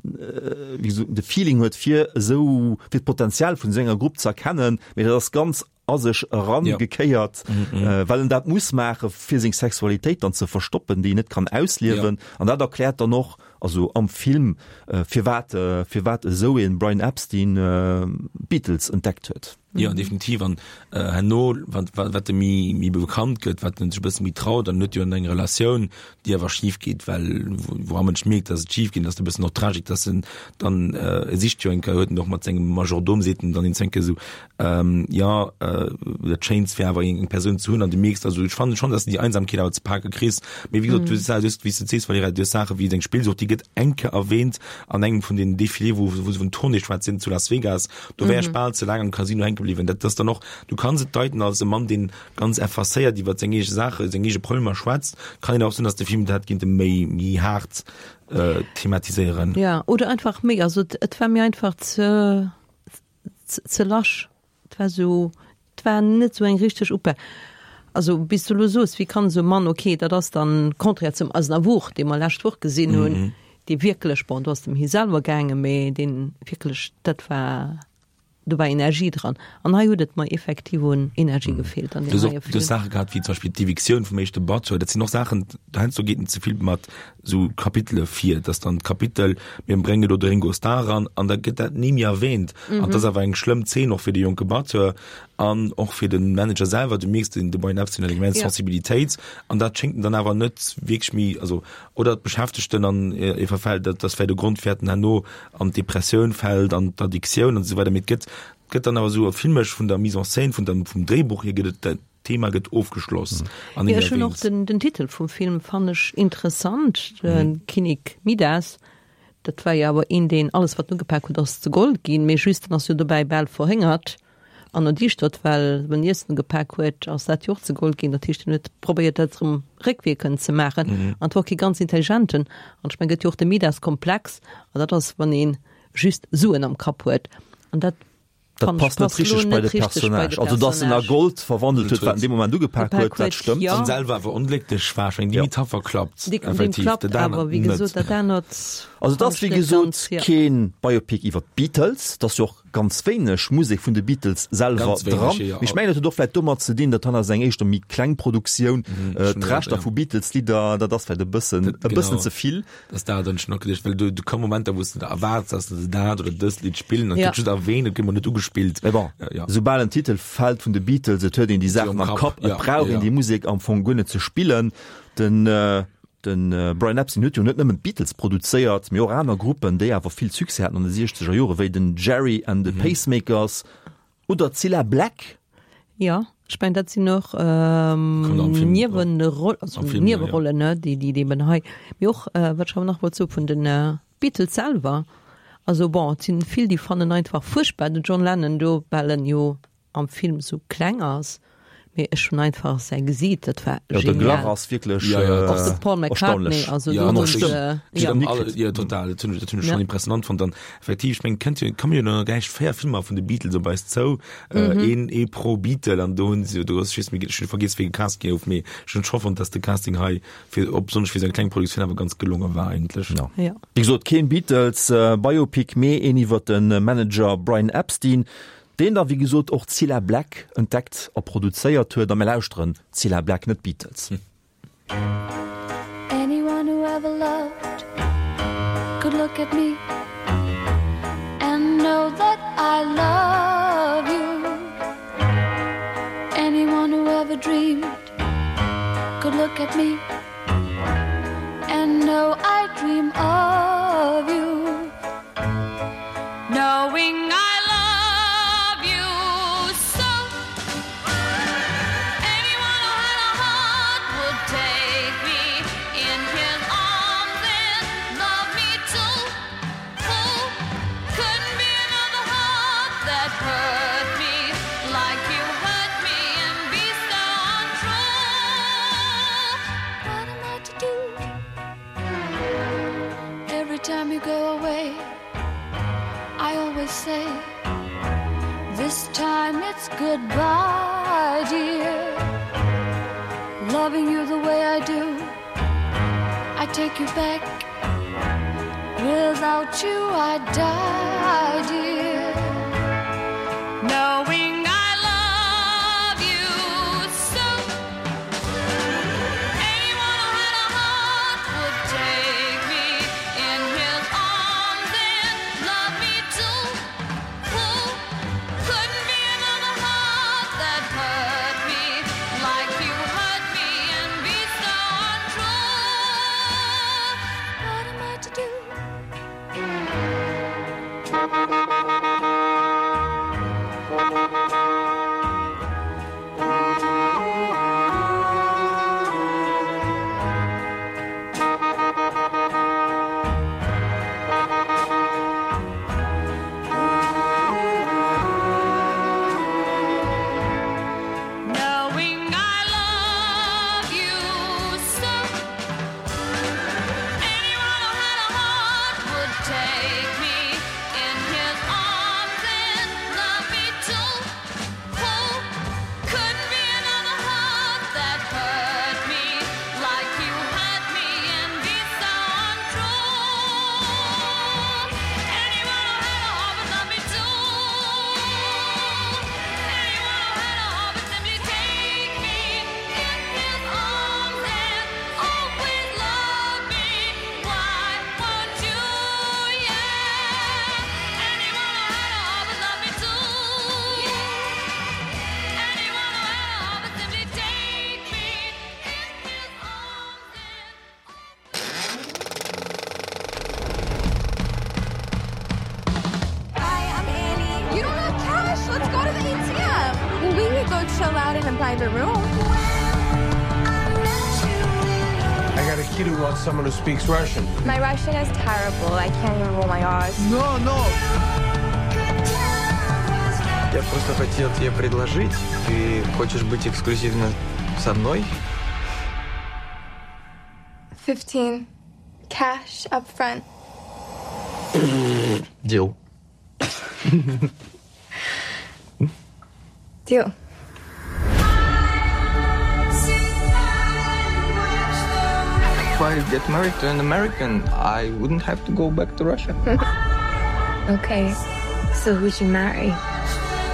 [SPEAKER 2] wéi gesot, de Feeling huet, fir esou, fir d'Potenzial vun esou enger Grupp ze erkennen, mee dat ass ganz a sech erangekéiert, ja. well en dat muss maache fir seng Sexualitéit dann ze verstoppen, déi en net kann ausliewen. Ja. An dat erkläert dann och, also am Film, firwat firwat esou een Brian Epstein d'Beatles entdeckt huet.
[SPEAKER 4] Jo, definitiv. An herno, wat wat e méi méi bekannt gëtt, wat en sech e bësse méi traut, dann huet jo en eng Relatioun, déi awer schif geet, well wou am Mënsch mierkt, datt et schif geet, ass e bëssen och Tragik, datt en dann, e sicht jo eng Kéier, huet en och mat sengem Majordom, seet en dann een Kéier esou, Jo, dat Schéinst wär awer eng Persoun ze hunn an du mierks, also ech fannen schonn, dass de déi Einsamkeet awer ze pake kriss. Mee wéi gesot, du hues, wéi s de sees, Valerija, du hues Saache wéi deng Spillsucht, déi gëtt eng Kéier erwähnt an engem vun den Défilé, wou wou se vun Tournée schwätzen zu Las Vegas. Do wär ech bal ze laang am Casino hänke bliwwen. Dat ass dann och, du kanns et deiten als e Mann, deen ganz effacéiert iwwer seng eege Saache, seng eege Problemer schwätzt. Kann een och soen, dass de Film dat hätt kinnte méi méi haart thematiséieren.
[SPEAKER 3] Jo, oder einfach méi, also et war mir einfach ze. ze lasch. Et war esou, et war net esou eng richteg Oper. Also bis du elo soos, wéi kann esou e Mann, okay, dat ass dann contraire zum Aznavour, dee mer lescht Woch gesinn hunn, dee wierklech, bon, do ass et ëm hie selwer gaangen, mee deen wierklech, dat war, do war Energie dran. An hei huet et mer effektiv un Energie gefeelt an
[SPEAKER 4] Du
[SPEAKER 3] deem
[SPEAKER 4] hues och
[SPEAKER 3] heie
[SPEAKER 4] du hues
[SPEAKER 3] Film.
[SPEAKER 4] Saache gehat wéi zum Beispill d'Eviktioun vum éischte Batteur. Dat sinn och Saachen, heiansdo geet en ze vill mat sou Kapitele vir, dass dann d'Kapitel, mir bréngen elo de Ringo Starr eran an da gëtt dat ni méi erwähnt. An dat ass awer eng schlëmm Zeen och fir de jonke Batteur an och fir de Manager selwer. Du mierks, den de Brian Epstein huet eng immens
[SPEAKER 3] Ja.
[SPEAKER 4] Sensibilitéit an dat schéngt en dann awer net wierklech méi, also oder et beschäftegt en an e verfält, dat ass vläicht e Grond firwat en herno an d'Depressioun fält, an d'Addiktioun an esou weider. Mee et gëtt, gëtt dann awer esou filmesch vun der Mise en scène, vun der, vum Dréibuch hier gëtt et, D'Thema gëtt ofgeschloss an
[SPEAKER 3] Jo, ech hunn och den, den Titel vum Film fannen ech interessant, den Kinnek Midas. Dat war jo awer een, deen alles wat en ugepak huet ass zu Gold ginn, mee just en ass jo dobäi bal verhéngert an erdiischtert, well wann en Iessen ugepak huet, ass dat jo och zu Gold ginn. Dat heescht, en huet probéiert dat erëm réckwierkend ze maachen an et war och kee ganz intelligenten. An ech mengen, gëtt jo och de Midas-Komplex an dat ass wann ee just Suen am Kapp huet an dat
[SPEAKER 2] Dat passt net richteg bei de Personnage. Also dass en a Gold verwandelt huet, wat en dee Moment ugepak huet, dat stëmmt.
[SPEAKER 4] An selwer awer onglécklech war. Ech mengen, déi Metapher klappt
[SPEAKER 3] effektiv. Dat anert net.
[SPEAKER 2] Also et ass wéi gesot kee Biopic iwwer d'Beatles. Et ass jo och ganz wéineg Musek vun de Beatles selwer dran. Mee ech mengen, dat huet och vläicht domat ze dinn, dat han ass eng éischter méi kleng Produktioun. D'Rechter vu Beatles-Lidder, dat ass vläicht e bëssen, e bëssen ze vill.
[SPEAKER 4] Dass dat hunn ech nach geduecht, well do do komme Momenter, wou s de der erwaarts, dass se dat oder dëst Lidd spillen, an et gëtt just erwähnt, et gëtt mol net ugespillt.
[SPEAKER 2] Mee bon, soubal en Titel fält vun de Beatles, et huet een déi Saachen am Kapp, et brauch een déi Musek am Fong guer net ze spillen. Den de Brian Epstein huet jo net nëmmen d'Beatles produzéiert, mee och aner Gruppen, déi awer vill Succès haten an de siechzeger Jore wéi den Gerry and the Pacemakers oder d'Cilla Black.
[SPEAKER 3] Jo, ech mengen dat sinn och Niewerollen, déi déi eben hei, mee och wat ech awer nach wollt soe vun de Beatles selwer, also bon, et sinn vill déi fannen einfach fuerchtbar den John Lennon do, well en jo am Film sou kleng ass, mee ech hunn einfach säi Gesiit, dat war
[SPEAKER 2] Jo, de
[SPEAKER 3] genial.
[SPEAKER 2] Glach ass wierklech
[SPEAKER 4] Ja, ja,
[SPEAKER 3] Och de Paul McCartney,
[SPEAKER 2] erstaunlech.
[SPEAKER 3] also
[SPEAKER 4] Ja,
[SPEAKER 3] do
[SPEAKER 4] an och
[SPEAKER 3] hunn
[SPEAKER 4] Stëmm.
[SPEAKER 3] se,
[SPEAKER 4] Ja,
[SPEAKER 3] ja.
[SPEAKER 4] alle, ja, total, dat hunn ech, dat hunn ech
[SPEAKER 3] Ja.
[SPEAKER 4] schonn impressionant fonnt. Dann effektiv, ech mengen, kënnt jo, komme jo nach gläich véier Filmer vun de Beatles op eis zou, äh, een, ee pro Beatle, an do hunn se jo, do ass, ech weess méi, ech hunn vergiess, wéi gecast gouf, mee ech hunn scho fonnt, dass de Casting hei fir, op besonnesch fir esou eng kleng Produktioun awer ganz gelonge war eigentlech.
[SPEAKER 2] Ja.
[SPEAKER 3] Ja.
[SPEAKER 2] Wéi gesot, keen Beatles Biopic, mee een iwwer de Manager Brian Epstein, Deen da wéi gesot och Cilla Black entdeckt a produzéiert huet. A mir lauschteren Cilla Black, net d'Beatles.
[SPEAKER 10] Anyone who ever loved could look at me and know that I love you. Anyone who ever dreamed could look at me and know I dream of you. Knowing I love you so. Anyone who had a heart would take me in his arms and love me too. Who couldn't be another heart that hurt me like you hurt me and be so untrue? What am I to do? Every time you go away, I always say, This time it's goodbye, dear. Loving you the way I do, I take you back. Without you, I die, dear. Knowing I love you so. Anyone who had a heart would take me in his arms and love me too. Who couldn't be another heart that hurt me like you hurt me and be so untrue? What am I to do? Knowing I love you so. Anyone who had a heart would take me in his arms and love me too. Who couldn't be another heart that hurt me like you hurt me and be so untrue? Anyone who had a heart would love me too. Anyone who had a heart would simply take me in his arms and always love me. Why won't you? Yeah. Anyone who had a heart would love me too. Anyone who had a heart would simply take me in his arms and.
[SPEAKER 11] Hi, I'm Annie. You don't have cash. Let's go to the ATM. Well, we could go chill out in a private room.
[SPEAKER 9] I got a kid who wants someone who speaks Russian.
[SPEAKER 11] My Russian is terrible. I can't even roll my R's.
[SPEAKER 9] No, no.
[SPEAKER 5] Я просто хотел тебе предложить. Ты хочешь быть эксклюзивно со мной?
[SPEAKER 11] Fifteen. Cash up front.
[SPEAKER 5] Deal.
[SPEAKER 11] Deal.
[SPEAKER 5] If I get married to an American, I wouldn't have to go back to Russia.
[SPEAKER 11] Okay, so who'd you marry?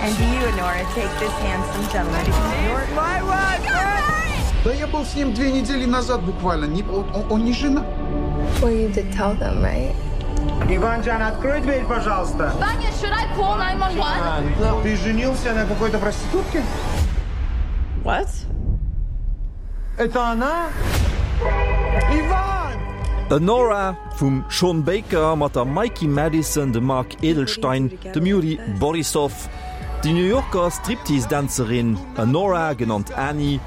[SPEAKER 6] And do you, Nora, take this handsome gentleman?
[SPEAKER 12] My wife! Да я был с ним две недели назад буквально. Не, он, он не жена.
[SPEAKER 11] Well, you did tell them, right?
[SPEAKER 12] Иван-Джан, открой дверь, пожалуйста.
[SPEAKER 10] Vanya, should I call nine one one?
[SPEAKER 12] Ты женился на какой-то проститутке?
[SPEAKER 6] What?
[SPEAKER 12] Это она? Иван!
[SPEAKER 2] Anora vum Sean Baker mat der Mikey Madison, dem Mark Edelstein, dem Yuri Borisov. Déi New Yorker Striptease-Dänzerin Anora, genannt Annie,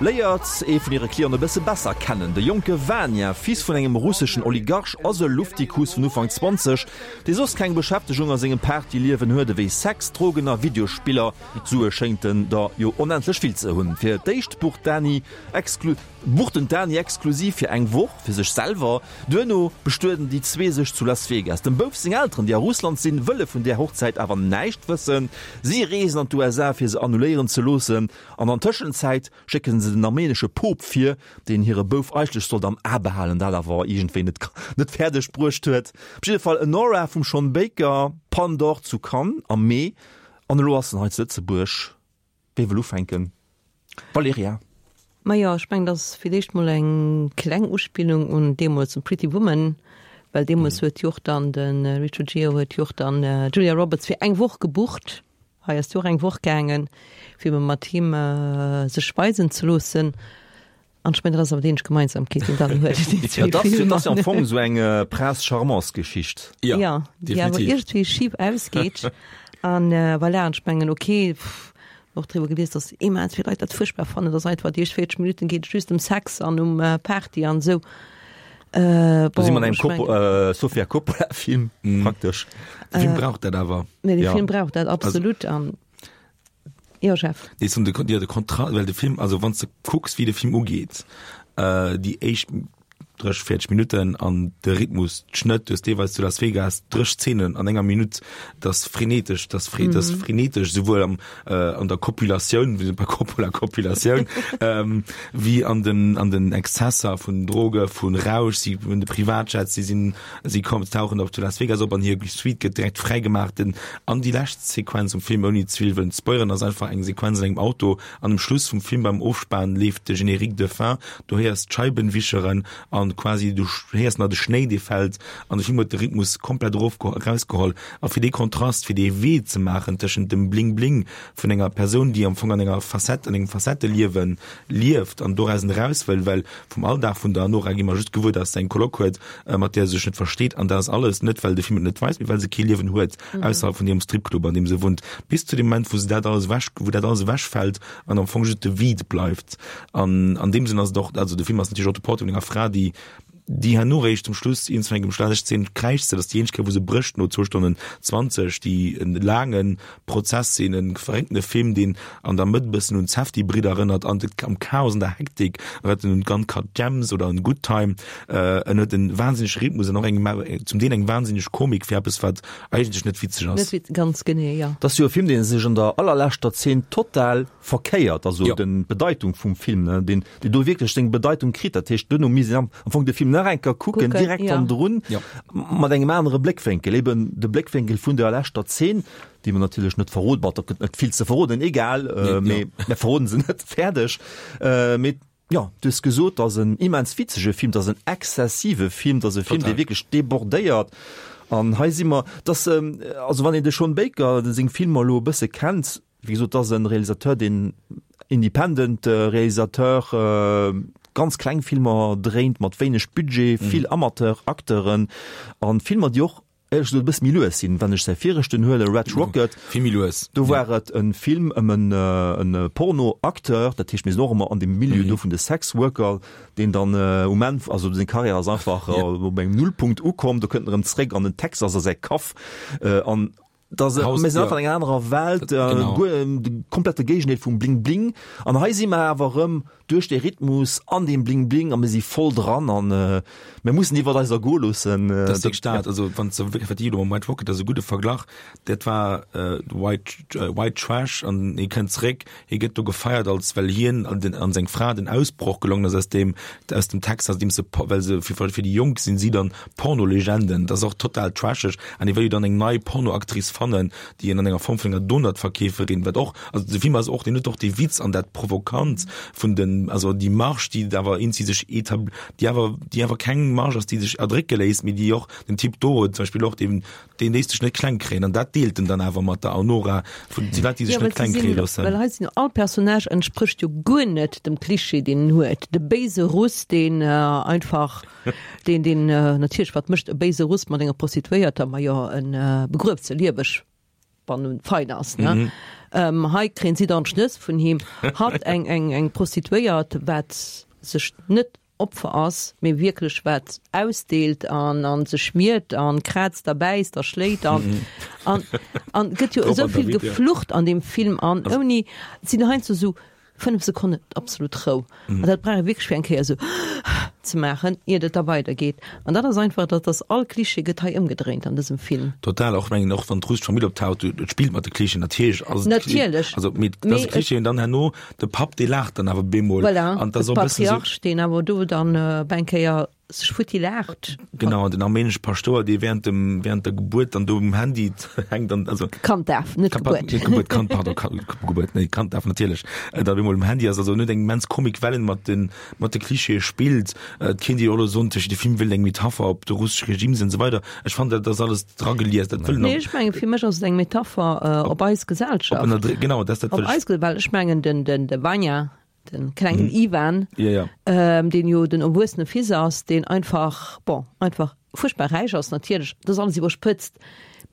[SPEAKER 2] léiert ee vun hire Clienten e bësse besser kennen. De jonke Vanya, Fils vun engem russeschen Oligarch, ass e Luftikus vun Ufank zwanzeg, dee soss keng Beschäftegung a sengem Partyliewen huet ewéi Sex, Drogen a Videospiller. Sue schéngt en der jo onendlech vill ze hunn. Fir d'éischt bucht d'Annie exklu bucht en d'Annie exklusiv fir eng Woch fir sech selwer. Duerno bestueden déi zwee sech zu Las Vegas. Dem Bouf seng Elteren, déi a Russland sinn, wëlle vun där Hochzäit awer näischt wëssen. Si reesen an d'USA fir se annuléieren ze loossen an an Tëschenzäit schécken se den armenesche Pope vir, deen hire Bouf eigentlech sollt am A behalen, dat awer iergendwéi net net fäerdeg bruecht huet. Op jidde Fall Anora vum Sean Baker, Palme d'Or zu Cannes am Mee an elo ass en hei zu Lëtzebuerg. Wie wëll ufänken? Valerija.
[SPEAKER 3] Majo, ech mengen, dat ass fir d'éischt mol eng kleng Uspillung un deemools un Pretty Woman, well deemools huet jo och dann de Richard Gere huet jo och dann d'Julia Roberts fir eng Woch gebucht. Hei ass jo och eng Woch gaangen, fir ebe mat him sech weisen ze loossen. An ech mengen, dat ass awer déi eenzeg Gemeinsamkeet, déi een dann huet, déi
[SPEAKER 2] Ja,
[SPEAKER 3] zwee
[SPEAKER 2] dat ass
[SPEAKER 3] Filmer.
[SPEAKER 2] jo am Fong esou eng Prince Charmants-Geschicht.
[SPEAKER 3] Ja, déi awer iergendwéi schif ausgeet. An voilà, an ech mengen, okay, pff, och driwwer gelies, dass immens vill Leit dat fuerchtbar fannen, dass einfach déi éischt véierzeg Minutten geet et just ëm Sex an um Party an esou. Äh,
[SPEAKER 2] Do si mer
[SPEAKER 3] bon,
[SPEAKER 2] an engem
[SPEAKER 3] ech mengen.
[SPEAKER 2] Coppo äh, Sofia Coppola-Film praktesch.
[SPEAKER 4] De Film brauch dat awer.
[SPEAKER 3] Nee, de
[SPEAKER 4] Ja.
[SPEAKER 3] Film brauch dat absolut an jo, Jeff.
[SPEAKER 4] Nee, so de, ja, de Kontra well de Film, also wann s de kucks, wéi de Film ugeet, äh, déi éischt dräisseg, véierzeg Minutten an de Rhythmus, d'Schnëtt, du hues deelweis zu Las Vegas dräi Szenen an enger Minutt, dat ass frenetesch, dat ass fre, dat ass
[SPEAKER 13] Mhm.
[SPEAKER 4] frenetesch, souwuel am, äh, an der Kopulatioun, wéi bei Coppola Kopulatioun, ähm, wéi an den, an den Exzesser vun Droge, vun Rausch, si hunn de Privatjet, si sinn, si kommen, tauchen op zu Las Vegas op an hir Suite gëtt direkt fräigemaach, den, an déi lescht Sequenz um Film, ouni ze vill wëllen spoileren, ass einfach eng Sequenz an engem Auto, an um Schluss vum Film beim Ofspan leeft de Générique de fin, du héiers d'Scheiben wischeren an quasi du héiers nach de Schnéi dee fält an de Film huet de Rhythmus komplett erof erausgeholl a fir dee Kontrast, fir dee Wee ze maachen tëschent dem Bling Bling vun enger Persoun, déi am Fong an enger Facette, an engem Facetteliewen lieft an dorausen eraus wëll, well vum Alldag vun der Nora gi mer just gewuer, dass se eng Coloc huet, mat där se sech net versteet an dat ass alles, net well de Film et net weist, mee well se kee Liewen huet ausserhalb vun hirem Stripclub, an deem se wunnt, bis zu dem Moment, wou se dat alles ewech, wou dat alles ewechfält an am Fong just de Vide bleift. An an deem Sënn ass et och, also de Film ass natierlech och de Portrait vun enger Fra, déi déi herno réischt zum Schluss iergendwann engem Schlag Szene kräischt se, dat ass déi eenzeg Kéier wou se brécht no zwou Stonnen zwanzeg, déi en laange Prozess sinn, e verréckte Film, deen an der Mëtt e bëssen un d'Safdie-Bridder erënnert, an de, am Chaos, an der Hektik erënnert en un Uncut Gems oder un Good Time. En huet en wahnsinnege Rhythmus an och eng, zum Deel eng wahnsinneg Komik fir eppes, wat eigentlech net witzeg ass.
[SPEAKER 3] Net wit, ganz genee, jo.
[SPEAKER 2] Dat ass jo e Film, dee sech an der allerleschter Zeen total verkéiert, also
[SPEAKER 4] Jo.
[SPEAKER 2] den d'Bedeitung vum Film, ne, deen, deen do wierklech seng Bedeitung kritt. Dat heescht, duerno misst een am, am Fong de Film nach eng Kéier kucken,
[SPEAKER 3] Kucken,
[SPEAKER 2] direkt
[SPEAKER 3] ja.
[SPEAKER 2] hannendrun,
[SPEAKER 4] Ja.
[SPEAKER 2] mat engem anere Bléckwénkel, eben de Bléckwénkel vun der leschter Zeen, déi mer natierlech net verroden, bon, do gëtt net vill ze verroden, egal, äh,
[SPEAKER 4] Nee,
[SPEAKER 2] mee
[SPEAKER 4] ja.
[SPEAKER 2] mir verroden se net, fäerdeg. Äh, mee jo, du hues gesot, dat ass en immens witzege Film, dat ass en exzessive Film, dat ass e Film,
[SPEAKER 4] Total.
[SPEAKER 2] dee wierklech debordéiert. An hei si mer, dass, ähm, also wann een de Sean Baker seng Filmer elo e bësse kennt, wéi gesot, dat ass en Realisateur, deen independent Realisateur, ganz kleng Filmer dréint mat wéineg Budget, vill Amateur-Acteuren an Filmer, déi och éierlech gesot e bësse méi lues sinn. Wann ech säi viregten huelen, Red Rocket,
[SPEAKER 4] Vill méi lues,
[SPEAKER 2] do war et e Film ëm en Porno-Acteur, dat heescht mir sinn och ëmmer an deem Milieu do vun de Sex-Worker, deen dann um Enn, also seng Karriär ass einfach op engem Nullpunkt ukomm, do kënnt en erëm zréck an den Texas a säi Kaff an Dass
[SPEAKER 4] Haus,
[SPEAKER 2] mir sinn
[SPEAKER 4] ja.
[SPEAKER 2] einfach an enger anerer Welt, äh,
[SPEAKER 4] Genau.
[SPEAKER 2] guer de komplette Géigendeel vum Bling Bling. An hei si mer awer erëm duerch de Rhythmus an deem Bling Bling a mir si voll dran an äh, mir mussen iwwer eis ergoe loossen. Äh,
[SPEAKER 4] Dat ass wierklech dat, also wann s de wierklech wat déi elo mam White Rocket, dat ass e gudde Verglach, dat war äh, White, äh, White Trash an hie kënnt zréck, hie gëtt do gefeiert als well hien an den an seng Fra den Ausbroch gelongen ass aus dem aus dem Texas, deem se well se fir fir déi Jonk sinn si dann Pornolegenden, dat ass och total trasheg an hie wëll jo dann eng nei Pornoactrice fannen, déi en an enger Form vun enger Donutverkeeferin, wat och also de Film ass och deen huet och dee Witz an dat Provokant vun den also déi Marge, déi awer eenzi sech etab déi awer déi awer keng Marge ass, déi sech erdrécke léisst, mee déi och den Typ do huet zum Beispill och deen deen léisst sech net kleng kréien an dat deelt en dann awer mat der Anora vun déi Leit, déi sech
[SPEAKER 3] Ja, well
[SPEAKER 4] net kleng
[SPEAKER 3] si
[SPEAKER 4] kréie
[SPEAKER 3] sinn,
[SPEAKER 4] loossen.
[SPEAKER 3] well hei sinn all Personnage entsprécht jo guer net dem Klischee, deen en huet. De béise Russ, deen äh, einfach deen deen äh, natierlech wat mécht e béise Russ mat enger Prostituéierter, ma jo en äh, begrueft se lieweg wann en fein ass ne?
[SPEAKER 4] Mhm.
[SPEAKER 3] Ähm, hei kréien si dann Schnëss vun him hat eng eng eng Prostituéiert wat sech net Opfer ass, mee wierklech wat ausdeelt an an sech schmiert an kraazt a bäisst a schléit an
[SPEAKER 4] Mhm.
[SPEAKER 3] an an gëtt jo
[SPEAKER 4] Robert
[SPEAKER 3] esou vill
[SPEAKER 4] David, ja.
[SPEAKER 3] geflucht an dem Film an
[SPEAKER 4] Also-
[SPEAKER 3] ouni et sinn heiansdo sou fënnef Sekonnen absolut Rou.
[SPEAKER 4] Mhm.
[SPEAKER 3] An dat brauch ee wierklech fir eng Kéier sou ze maachen, iert et da weidergeet. An dat ass einfach, dat ass all Klischee gëtt hei ëmgedréint an dësem Film.
[SPEAKER 4] Total, och mengen och wann d'russesch Famill optaucht, du, et spillt mat de Klischeen natierlech ass et
[SPEAKER 3] Natierlech.
[SPEAKER 4] also mee dat ass
[SPEAKER 3] Mee
[SPEAKER 4] e Klischee und dann herno de Papp dee laacht dann awer bemol
[SPEAKER 3] Voilà,
[SPEAKER 4] an dat
[SPEAKER 3] de
[SPEAKER 4] ass och e bëssen sou
[SPEAKER 3] Patriarch, deen awer do dann äh, bei eng Kéier sech futti laacht.
[SPEAKER 4] Genau, den armenesche Paschtouer, dee während dem während der Gebuert dann do um Handy hänkt an also
[SPEAKER 3] Kanddaf, net
[SPEAKER 4] Ka-
[SPEAKER 3] Gebuert.
[SPEAKER 4] Net Gebuert, Kand, pardon, Ka- Gebuert, nee, Kanddaf natierlech. Äh, da bemol um Handy ass, also net eng immens Komik Wellen mat den mat de Klischeeë spillt. Äh, et kéint ee jo och elo soen, tëscht de Film wëllt eng Metapher op de russesche Regime sinn und so weiter. Ech fand dat ass alles dra gelies, dat wëll
[SPEAKER 3] Nee, ech mengen, fir mech ass et eng Metapher äh, op eis Gesellschaft.
[SPEAKER 4] Op ënner- genau, dat dat
[SPEAKER 3] Op
[SPEAKER 4] wëll ech-
[SPEAKER 3] eis, well ech mengen den den de Vanya, den klengen
[SPEAKER 4] Mhm.
[SPEAKER 3] Ivan,
[SPEAKER 4] Ja, ja.
[SPEAKER 3] ähm, deen jo den erwuessene Fils ass, deen einfach bon, einfach fuerchtbar räich ass natierlech, dat ass alles iwwerspëtzt.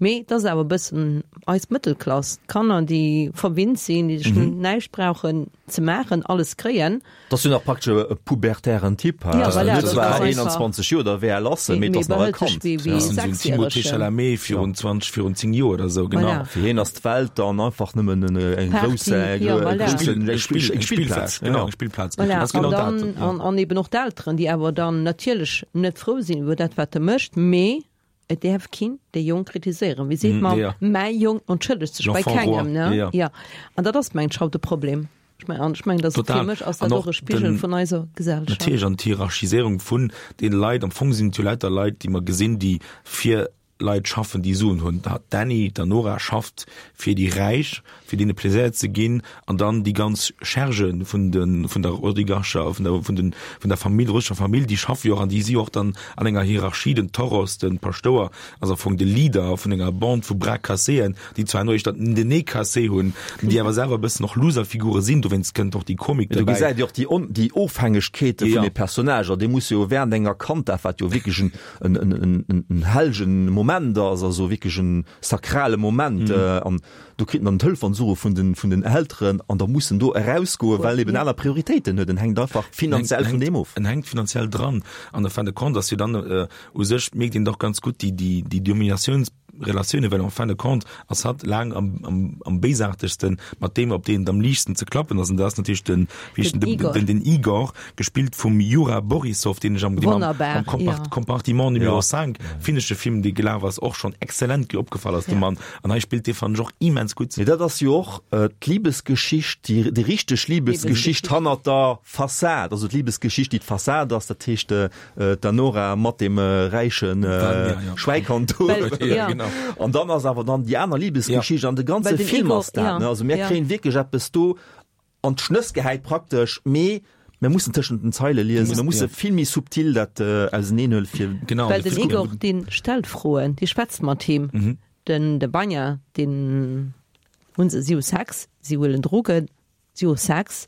[SPEAKER 3] Mee dat ass awer e bëssen eis Mëttelklass, d'Kanner, déi verwinnt sinn, déi sech
[SPEAKER 2] Mhm.
[SPEAKER 3] näischt brauchen ze maachen, alles kréien.
[SPEAKER 2] Dat ass jo nach praktesch e pubertären Typ,
[SPEAKER 3] Ja,
[SPEAKER 2] also
[SPEAKER 3] voilà,
[SPEAKER 2] net
[SPEAKER 3] dat
[SPEAKER 2] zwar
[SPEAKER 3] ass einfach-
[SPEAKER 2] einundzwanzeg Joer, da wär er lass,
[SPEAKER 3] Mee-
[SPEAKER 2] mee
[SPEAKER 3] mee
[SPEAKER 2] dat ass nach e
[SPEAKER 3] behëlt sech
[SPEAKER 2] Kand.
[SPEAKER 3] wéi- wéi
[SPEAKER 4] Ja. Timothée
[SPEAKER 3] Sechsjährege.
[SPEAKER 4] Chalamet virun zwanzeg, virun zéng Joer oder sou, genau.
[SPEAKER 3] Voilà.
[SPEAKER 2] Fir hien ass d'Welt dann einfach nëmmen en, eng
[SPEAKER 3] Party,
[SPEAKER 2] grouss,
[SPEAKER 3] ja, voilà.
[SPEAKER 2] grouss,
[SPEAKER 4] Spill-
[SPEAKER 2] eng
[SPEAKER 4] Spill-
[SPEAKER 2] Spill- eng Spillplaz,
[SPEAKER 4] Spillplaz, genau, eng Spillplaz.
[SPEAKER 3] Voilà.
[SPEAKER 4] Dat ass genau
[SPEAKER 3] An dann,
[SPEAKER 4] dat, ja.
[SPEAKER 3] an, an eben och d'Elteren, déi awer dann natierlech net frou sinn iwwer dat, wat e mécht, mee et däerf keen de Jong kritiséieren. Wéi seet
[SPEAKER 4] Mm,
[SPEAKER 3] man,
[SPEAKER 4] ja.
[SPEAKER 3] mäi Jong entschëllegt sech bei
[SPEAKER 4] L'enfant roi,
[SPEAKER 3] kengem, ne?
[SPEAKER 4] ja.
[SPEAKER 3] Ja. An dat ass mengen ech haut de Problem. Ech meng, an ech mengen, dass
[SPEAKER 4] Total.
[SPEAKER 3] fir mech ass
[SPEAKER 4] An
[SPEAKER 3] dat
[SPEAKER 4] och
[SPEAKER 3] och e Spigel
[SPEAKER 4] den-
[SPEAKER 3] vun eiser Gesellschaft.
[SPEAKER 4] Natierlech, an d'Hierarchiséierung vun den Leit, am Fong sinn et jo lauter Leit, déi mer gesinn, déi fir Leit schaffen, déi Suen hunn. Da d'Annie, d'Anora schafft fir déi Räich, fir deene Plaisir ze ginn, an dann déi ganz Scherge vun den, vun der Oligarcher, vun der, vun den, vun der Famill, russescher Famill, déi schaffe jo och an déi si och dann an enger Hierarchie, den Toros, den Paschtouer, also am Fong de Leader vun enger Bande vu Bras casséen, déi zwar no dann den Nez cassé hunn, déi awer selwer e bëssen och Loserfigure sinn, dowéinst kënnt och déi Komik
[SPEAKER 2] Du
[SPEAKER 4] dobäi.
[SPEAKER 2] gesäit jo och déi On-, déi Ofhängegkeete vun
[SPEAKER 4] Ja.
[SPEAKER 2] de Personnager, déi muss jo während enger Kanddaf, wat jo wierklech en, en, en, en, en, en hellegen Moment ass, also wierklech en sakrale Moment,
[SPEAKER 4] Mhm.
[SPEAKER 2] äh, an do kritt en dann d'Hëlfeansuche vun den, vun den Elteren an da muss en do erausgoen, well eben
[SPEAKER 3] Ja.
[SPEAKER 2] aner Prioritéiten huet, en hänkt einfach finanziell vun deem of.
[SPEAKER 4] En hänkt finanziell dran. An der fin de compte, dass jo dann, äh, u sech mierkt een dach ganz gutt déi, déi, déi Dominatiounsrelatioune, well en fin de compte ass hatt laang am, am, am béisaartegsten mat deem, op deen et am liichtsten ze klappen ass. An dat ass natierlech den, wéi heescht
[SPEAKER 3] Den
[SPEAKER 4] den,
[SPEAKER 3] Igor.
[SPEAKER 4] den, den Igor, gespillt vum Jura Borisov, deen ech am, deen am,
[SPEAKER 3] Wonnerbar,
[SPEAKER 4] am Kompart-,
[SPEAKER 3] ja.
[SPEAKER 4] Compartiment Numéro
[SPEAKER 2] Ja.
[SPEAKER 4] cinq, finnesche Film, dee gelaf ass, och schonn exzellent opgefall ass, de
[SPEAKER 3] Ja.
[SPEAKER 4] Mann. An hei spillt dee, fannen ech, och immens gutt.
[SPEAKER 2] Mee dat ass jo och, äh, d'Liebesgeschicht, déi, déi richteg Liebesgeschicht
[SPEAKER 3] Liebesgeschicht.
[SPEAKER 2] hannert der Fassad, also d'Liebesgeschicht, déi d'Fassad ass, dat heescht, äh, d'Anora mat dem, äh, räichen, äh,
[SPEAKER 4] Dann, ja, ja.
[SPEAKER 2] Schwäikanto.
[SPEAKER 3] Well, ja.
[SPEAKER 4] genau.
[SPEAKER 2] An dann ass awer dann déi aner Liebesgeschicht
[SPEAKER 4] Ja.
[SPEAKER 2] an de ganze
[SPEAKER 3] Well den
[SPEAKER 2] Film
[SPEAKER 3] Igor,
[SPEAKER 2] ass dat,
[SPEAKER 3] ja,
[SPEAKER 2] ne? Also mir
[SPEAKER 3] ja.
[SPEAKER 2] kréien wierklech eppes do an d'Schnëss gehäit praktesch, mee mir mussen tëschent den Zeile liesen, mir musse
[SPEAKER 4] Ja.
[SPEAKER 2] vill méi subtil dat, äh, auserneenhuelen fir
[SPEAKER 4] Genau,
[SPEAKER 3] Well
[SPEAKER 4] de
[SPEAKER 3] den
[SPEAKER 4] Film-
[SPEAKER 3] Igor, deen stellt Froen, dee schwätzt mat him.
[SPEAKER 4] Mhm.
[SPEAKER 3] Den, de Vanya, deen hunn se, si hu Sex, si huelen Drogen, Si hu Sex,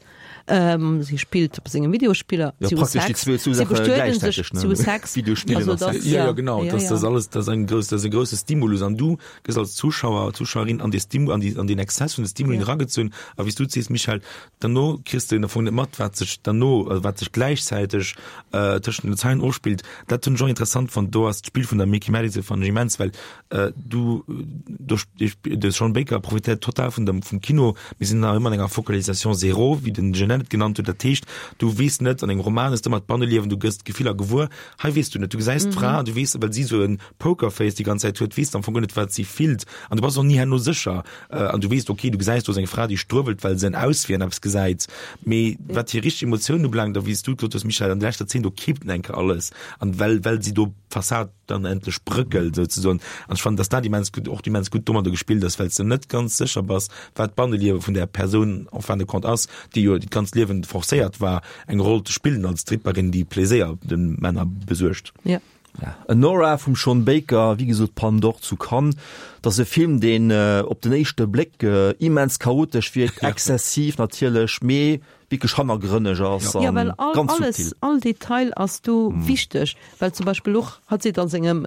[SPEAKER 3] si spillt op sengem Videospiller,
[SPEAKER 2] Ja,
[SPEAKER 3] si hu
[SPEAKER 2] praktesch déi
[SPEAKER 3] Sex,
[SPEAKER 2] zwee
[SPEAKER 3] si
[SPEAKER 2] Saache
[SPEAKER 3] bestueden sech,
[SPEAKER 2] gläichzäiteg, ne?
[SPEAKER 3] si hu Sex.
[SPEAKER 2] Videospillen
[SPEAKER 3] Also
[SPEAKER 2] a
[SPEAKER 3] dat,
[SPEAKER 2] Sex.
[SPEAKER 4] Ja,
[SPEAKER 3] ja,
[SPEAKER 4] ja, genau,
[SPEAKER 3] ja,
[SPEAKER 4] das,
[SPEAKER 3] ja.
[SPEAKER 4] das alles, das ass eng grouss, das ass e grousse Stimulus an du gëss als Zuschauer, Zuschauerin an dee Stimu, an déi, an den Exzess vun de Stimuli
[SPEAKER 3] Ja.
[SPEAKER 4] eragezunn a wéi s du sees, Michèle, derno kriss de am Fong net mat, wat sech derno, also wat sech gläichzäiteg äh, tëschent den Zeilen ofspillt. Dat hunn ech och interessant fonnt, do ass d'Spill vun der Mikey Madison fannen ech immens, well äh, du, do, de Sean Baker profitéiert total vun dem, vum Kino, mir sinn nach ëmmer an enger Focalisation zéro, wéi den Genet et genannt huet, dat heescht, du weess net, an engem Roman hues de ëmmer d'Banneliewen, du gëss d'Gefiller gewuer, hei weess du net, du gesäis d'Fra, du weess, well si sou en Pokerface déi ganz Zäit huet, weess de am Fong guer net, wat si fillt an du bass och ni herno sécher an du weess, okay, du gesäis, do ass eng Fra, déi struewelt, well se en Auswee an eppes gesäit, mee wat hir richteg Emotiounen ubelaangt a wéi s du gesot hues, Michèle, an der leschter Zeen, do kippt en enke alles an well, well si do d'Fassad dann endlech brëckelt souzesoen an ech fannen, dass dat immens gutt, och immens gutt domadder gespillt ass, well s de net ganz sécher bass, wat d'Banneliewe vun där Persoun en fin de compte ass, déi jo dat ganzt Liewen forcéiert war, eng Roll ze spillen als Stripperin, déi Pleséier de Männer besuergt.
[SPEAKER 3] Ja.
[SPEAKER 2] Ja. Anora vum Sean Baker, wéi gesot Palme d'Or zu Cannes, dat ass e Film, deen op den éischte Bléck immens chaotesch wierkt, exzessiv natierlech, mee wierklech hannergrënneg ass
[SPEAKER 3] Ja,
[SPEAKER 2] an
[SPEAKER 3] well all,
[SPEAKER 2] ganz
[SPEAKER 3] alles,
[SPEAKER 2] subtil.
[SPEAKER 3] all Detail ass do wichteg, well zum Beispill och, hatt seet an sengem,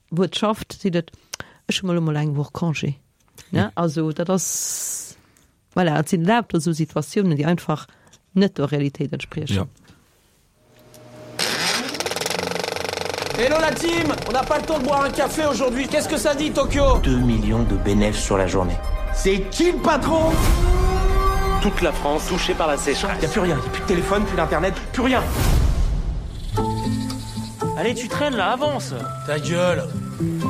[SPEAKER 3] wou et schafft, seet et, ech hu mol emol eng Woch Congé. Ne? Also dat ass, voilà, et sinn lauter esou Situatiounen, déi einfach net der Realitéit entspriechen.
[SPEAKER 4] Ja.
[SPEAKER 13] Hello la team, on n'a pas le temps de boire un café aujourd'hui. Qu'est-ce que ça dit Tokyo
[SPEAKER 14] Deux millions de bénéfices sur la journée.
[SPEAKER 13] C'est qui le patron
[SPEAKER 14] Toute la France touchée par la sécheresse.
[SPEAKER 9] Y a plus rien, y a plus de téléphone, plus d'internet, plus rien.
[SPEAKER 14] Allez, tu traînes là, avance.
[SPEAKER 13] Ta gueule.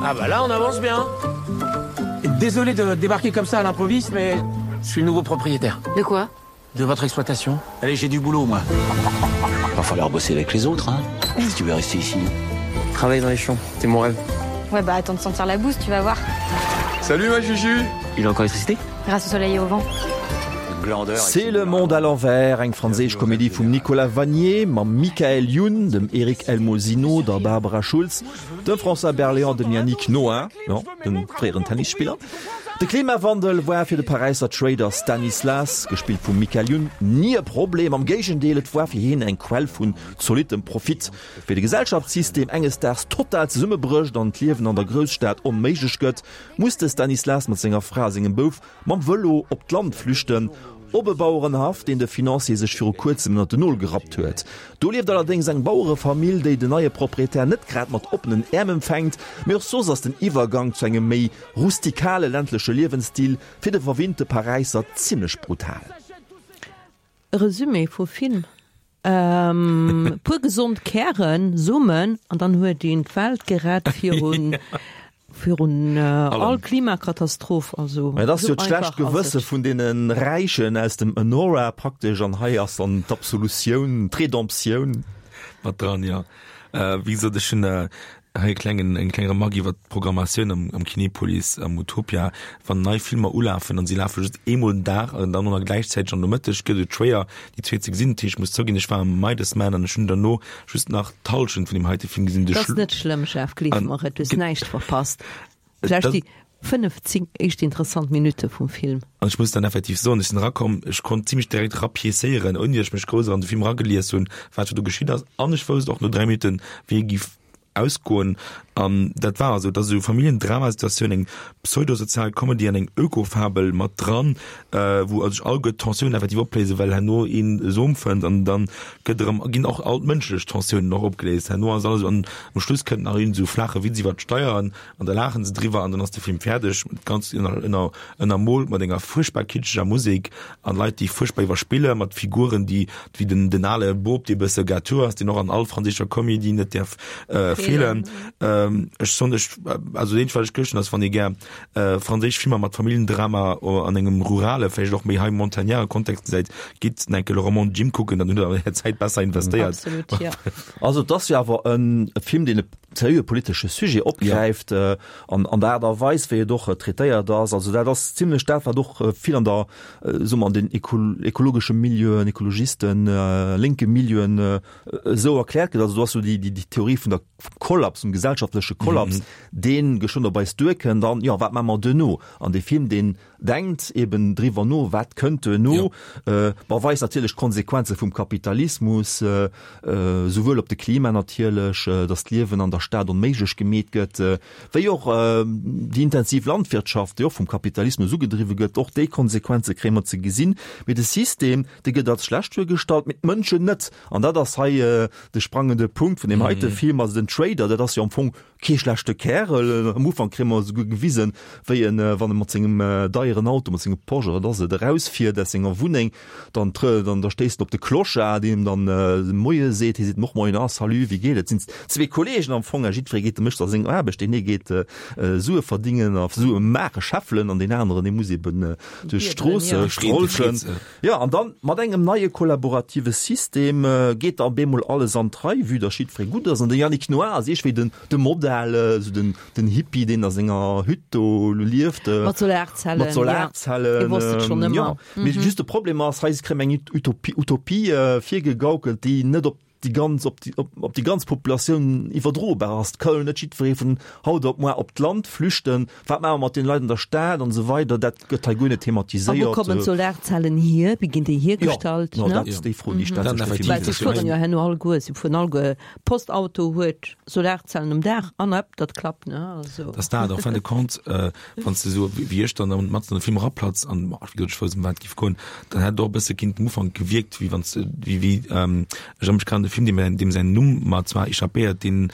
[SPEAKER 13] Ah bah là on avance bien.
[SPEAKER 9] Désolé de débarquer comme ça à l'improviste, mais je suis le nouveau propriétaire.
[SPEAKER 1] De quoi
[SPEAKER 9] De votre exploitation. Allez, j'ai du boulot moi.
[SPEAKER 14] Va falloir bosser avec les autres, hein, si tu veux rester ici.
[SPEAKER 5] Travailler dans les champs, c'est mon rêve.
[SPEAKER 11] Ouais, bah attends de sentir la bouse, tu vas voir.
[SPEAKER 5] Salut ma Juju
[SPEAKER 14] Il a encore l'électricité
[SPEAKER 11] Grâce au soleil et au vent.
[SPEAKER 2] C'est le monde à l'envers, eng franséisch Komedie vum Nicolas Vanier mam Michael Youn, dem Eric Elmosino, der Barbara Schulz, dem François Berléand, dem Yannick Noah, jo, dem fréieren Tennisspiller. De Klimawandel war fir de Paräisser Trader Stanislas, gespillt vum Michael Youn, ni e Problem, am Géigendeel, et war fir hien eng Quell vun zolittem Profit. Wéi de Gesellschaftssystem enges Daags total zesummebrécht an d'Liewen an der Grousstad onméiglech gëtt, muss de Stanislas mat senger Fra a sengem Bouf mam Vëlo op d'Land flüchten, op e Bauerenhaff, deen de Financier sech viru kuerzem ënnert den Nol gerappt huet. Do lieft allerdéngs eng Bauerefamill, déi den neie Proprietär net grad mat oppenen Äerm empfänkt, mee och soss ass den Iwwergang zu engem méi rustikale ländleche Liewensstil fir de verwinnte Paräisser zimmlech brutal.
[SPEAKER 3] E Resumé vum Film, Puer gesond Kären, Somen, an dann huet een d'Welt gerett virun virun all Klimakatastroph. Also
[SPEAKER 2] Mä et ass jo
[SPEAKER 3] esou
[SPEAKER 2] d'schlecht
[SPEAKER 3] einfach ass
[SPEAKER 2] Gewësse
[SPEAKER 3] et.
[SPEAKER 2] vun deene Räichen aus dem Anora praktesch, an hei ass dann d'Absolutioun, d'Redemptioun.
[SPEAKER 4] Mat dran, jo. Wéi gesot, ech hunn hei e klengen, eng kleng Remark iwwer d'Programmatioun am, am Kinepolis, am Utopia. Wann nei Filmer ulafen an si lafe just eemol den Dag an dann och nach gläichzäiteg am Nomëtteg, gëtt et schwéier, déi zwee ze gesinn. Dat heescht, ech muss zouginn, ech war am Midas Man an ech hunn derno just nach d'Hallschent vun deem heite Film gesinn. De
[SPEAKER 3] Dat ass
[SPEAKER 4] Schlu-
[SPEAKER 3] net schlëmm, Jeff, gleef
[SPEAKER 4] An
[SPEAKER 3] mer et, du hues
[SPEAKER 4] ge-
[SPEAKER 3] näischt verpasst. Vläicht
[SPEAKER 4] Dat-
[SPEAKER 3] déi fënnef, zéng éischt interessant Minutte vum Film.
[SPEAKER 4] An ech muss dann effektiv soen, ech sinn erakomm, ech konnt zimmlech direkt rapiécéieren, ouni datt ech mech grouss an de Film eragelies hunn, wat do geschitt ass. An ech wousst och no dräi Minutten, wéi e giff ausgoen. An dat war esou, et ass esou Familljendramasituatioun, eng pseudosozial Comedy an eng Ökofabel mat dran, wou sech alleguer d'Tensiounen effektiv opléisen, well herno een e Som fënnt an dann gëtt erëm, ginn och all d'mënschlech Tensiounen och opgeléist. Herno ass alles, an um Schluss kënnt nach een esou flaache Witz iwwer d'Steieren an da laachen se driwwer an dann ass de Film fäerdeg. Dat Ganzt ënner, ënner, ënnermoolt mat enger fuerchtbar kitscheger Musek an Leit, déi fuerchtbar iwwerspillen, mat Figuren, déi, wéi den, den ale Bop, dee bësse gâteau ass, deen och an all franséischer Comédie net däerf feelen. Ech soen, ech, also dat eenzegt, wat ech gëschten, ass, wann ee gär franséisch Filmer mat Familljendrama an engem rurale, vläicht och méi hei montagnarde Kontext gesäit, gitt enke Le Roman de Jim kucken, dann hutt der är Zäit besser investéiert.
[SPEAKER 3] Absolut, jo.
[SPEAKER 2] Also et ass jo awer e Film, deen e seriöe politesche Sujet opgräift an an der Aart a Weis, wéi et och traitéiert ass. Also dat ass zimlech dat, wat och vill an der, soe mer, an den ekologesche Milieuen, Ekologisten, lénke Milieuen esou erkläert gëtt. Also do ass jo déi Theorie vun der vum Kollaps, vum gesellschaftleche wirtschaftleche Kollaps, dee geschwënn op eis duerkënnt an, jo, wat maache mer duerno? An dee Film, deen denkt eben driwwer no, wat kënnt duerno, ma weist natierlech d'Konsequenze vum Kapitalismus, souwuel op de Klima natierlech, datt d'Liewen an der Stad onméiglech gemeet gëtt, wéi och déi intensiv Landwirtschaft, déi och vum Kapitalismus ugedriwwe gëtt, och déi Konsequenze kréie mer ze gesinn. Mee de System, dee gëtt als schlecht duergestallt, mee d'Mënschen net. An dat ass hei de sprangende Punkt vun deem heite Film. Also den Trader, dat ass jo am Fong kee schlechte Kärel. Am Ufank kréie mer esouguer gewisen, wéi en, wann e mat sengem deieren Auto, mat sengem Porsche oder wat ass et, erausfiert aus senger Wunneng, dann trë, dann da stéisst en op de Clochard, deen em dann Moie seet. Hie seet em och Moien, ah salut, wéi geet et? Et sinn zwee Kolleegen am Fong, a jiddweree geet, mécht da seng Aarbecht. Deen ee geet Sue verdingen a Sue maachen, scheffelen, an deen aneren, dee muss eben duerch d'Stroosse strolchen. Jo, an dann mat engem neie kollaborative System geet da op eemol alles an d'Rei, vue dass jiddweree gutt ass. An de Yannick Noah ass iergendwéi den, de Modell, esou den, den Hippie, deen a senger Hütt do lieft.
[SPEAKER 3] Mat Solarzellen,
[SPEAKER 2] Mat Solarzellen,
[SPEAKER 3] ja. Hie wosst et schonn ëmmer.
[SPEAKER 2] Jo. Mee just de Problem ass, hei kréie mer eng Utopie, Utopie virgegaukelt, déi net op déi ganz, op déi, op, op déi ganz Populatioun iwwerdrobar ass. Et ka jo net jiddweree vun haut op muar op d'Land flüchten. Wat maache mer mat deene Leit an der Stad an esou weider? Dat gëtt hei guer net
[SPEAKER 3] A wou
[SPEAKER 2] thematiséiert.
[SPEAKER 3] kommen d'Solarzellen hier? Wéi ginn déi hiergestallt?
[SPEAKER 2] Jo,
[SPEAKER 3] ne?
[SPEAKER 2] dat ass déi Fro, déi stellt sech de Film.
[SPEAKER 3] Well se fueren jo herno alleguer, se fueren alleguer, Postauto huet Solarzellen um Daach an up, dat klappt, ne? Also.
[SPEAKER 4] Dat ass dat, en fin de compte, wann s de esou wéi ech dann matzen an de Film eraplatz an, wéi gesot, ech wousst, ëm wat et géif goen, dann hätt et och e bësse kinnt am Ufank gewierkt, wéi wann s de, wéi, wéi, ech erënnere mech grad un e Film, deem, deem säin Numm mer zwar échappéiert, deen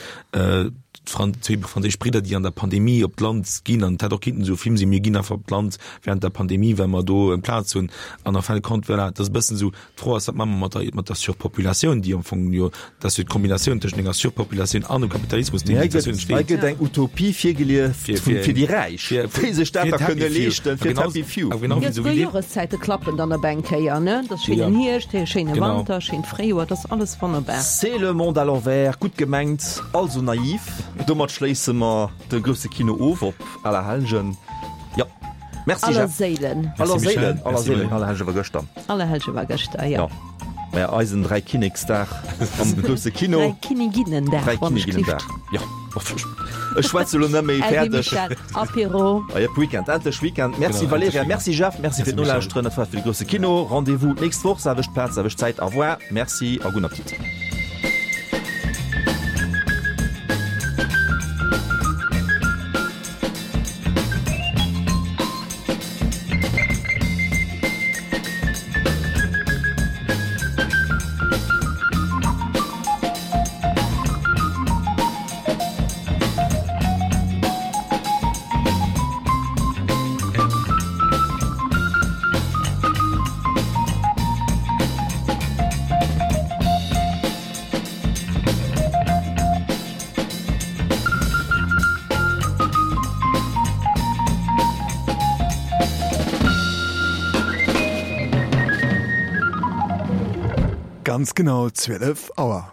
[SPEAKER 4] d'Fran-, zwee franséisch Bridder, déi an der Pandemie op d'Land ginn, an et hätt och kinnten esou e Film sinn, mir ginn einfach op d'Land während der Pandemie, well mer do eng Plaz hunn, an en fin de compte, voilà, et ass e bëssen esou, D'Fro ass, wat maache mer mat der, mat der Surpopulatioun, déi am Fong jo, dat ass jo d'Kombinatioun tëschent enger Surpopulatioun an dem Kapitalismus, déi
[SPEAKER 2] Hei
[SPEAKER 4] déi
[SPEAKER 2] gëtt,
[SPEAKER 4] Situatioun
[SPEAKER 2] hei
[SPEAKER 4] entsteet.
[SPEAKER 2] gëtt eng Utopie virgelieft
[SPEAKER 4] Fir,
[SPEAKER 2] vun,
[SPEAKER 4] fir,
[SPEAKER 2] fir déi Räich,
[SPEAKER 4] fir,
[SPEAKER 2] déi sech dat
[SPEAKER 4] fir
[SPEAKER 2] da
[SPEAKER 4] d'Happy
[SPEAKER 2] kënne
[SPEAKER 4] Few.
[SPEAKER 2] leeschten,
[SPEAKER 4] A
[SPEAKER 2] fir
[SPEAKER 4] genau,
[SPEAKER 2] d'Happy Few.
[SPEAKER 4] a genau
[SPEAKER 3] Jo,
[SPEAKER 4] wéi esou
[SPEAKER 3] souguer
[SPEAKER 4] wéi dee.
[SPEAKER 3] Joreszäite klappen dann op eng Kéier, ne? Dat ass schéinen
[SPEAKER 4] Ja.
[SPEAKER 3] Hierscht, hee schéine
[SPEAKER 4] Genau.
[SPEAKER 3] Wanter, schéint Fréijoer, dat ass alles wonnerbar.
[SPEAKER 2] C'est le monde à l'envers, gutt gemengt, also naiv. Domat schléisse mer de grousse Kino of op Allerhellgen. Jo. Merci
[SPEAKER 3] Aller
[SPEAKER 2] Jeff.
[SPEAKER 3] Séilen.
[SPEAKER 2] Aller
[SPEAKER 4] Merci Michel.
[SPEAKER 2] Séilen, aller
[SPEAKER 4] Merci
[SPEAKER 2] Séilen,
[SPEAKER 4] Marie.
[SPEAKER 2] Allerhellge war gëschter.
[SPEAKER 3] Allerhellge war gëschter, jo.
[SPEAKER 2] Jo. Maja, eisen Dräikinneksdag am grousse Kino.
[SPEAKER 3] Dräikinniginnendag, wann ech
[SPEAKER 2] Dräikinniginnendag, jo. Ech schwätze lo net méi,
[SPEAKER 3] Äddi
[SPEAKER 2] fäerdeg.
[SPEAKER 3] Michel, Apéro.
[SPEAKER 2] Ah jep, Weekend, endlech Weekend. Merci
[SPEAKER 4] Genau, endlech
[SPEAKER 2] Valerija,
[SPEAKER 4] Weekend.
[SPEAKER 2] merci Jeff, merci fir
[SPEAKER 4] Merci Michel.
[SPEAKER 2] d'Nolauschteren. Dat war et fir de grousse Kino. Rendez-vous d'nächst Woch, selwecht Plaz, selwecht Zäit. Au revoir, merci a gudden Appetit.
[SPEAKER 15] Ganz genau zwielef Auer.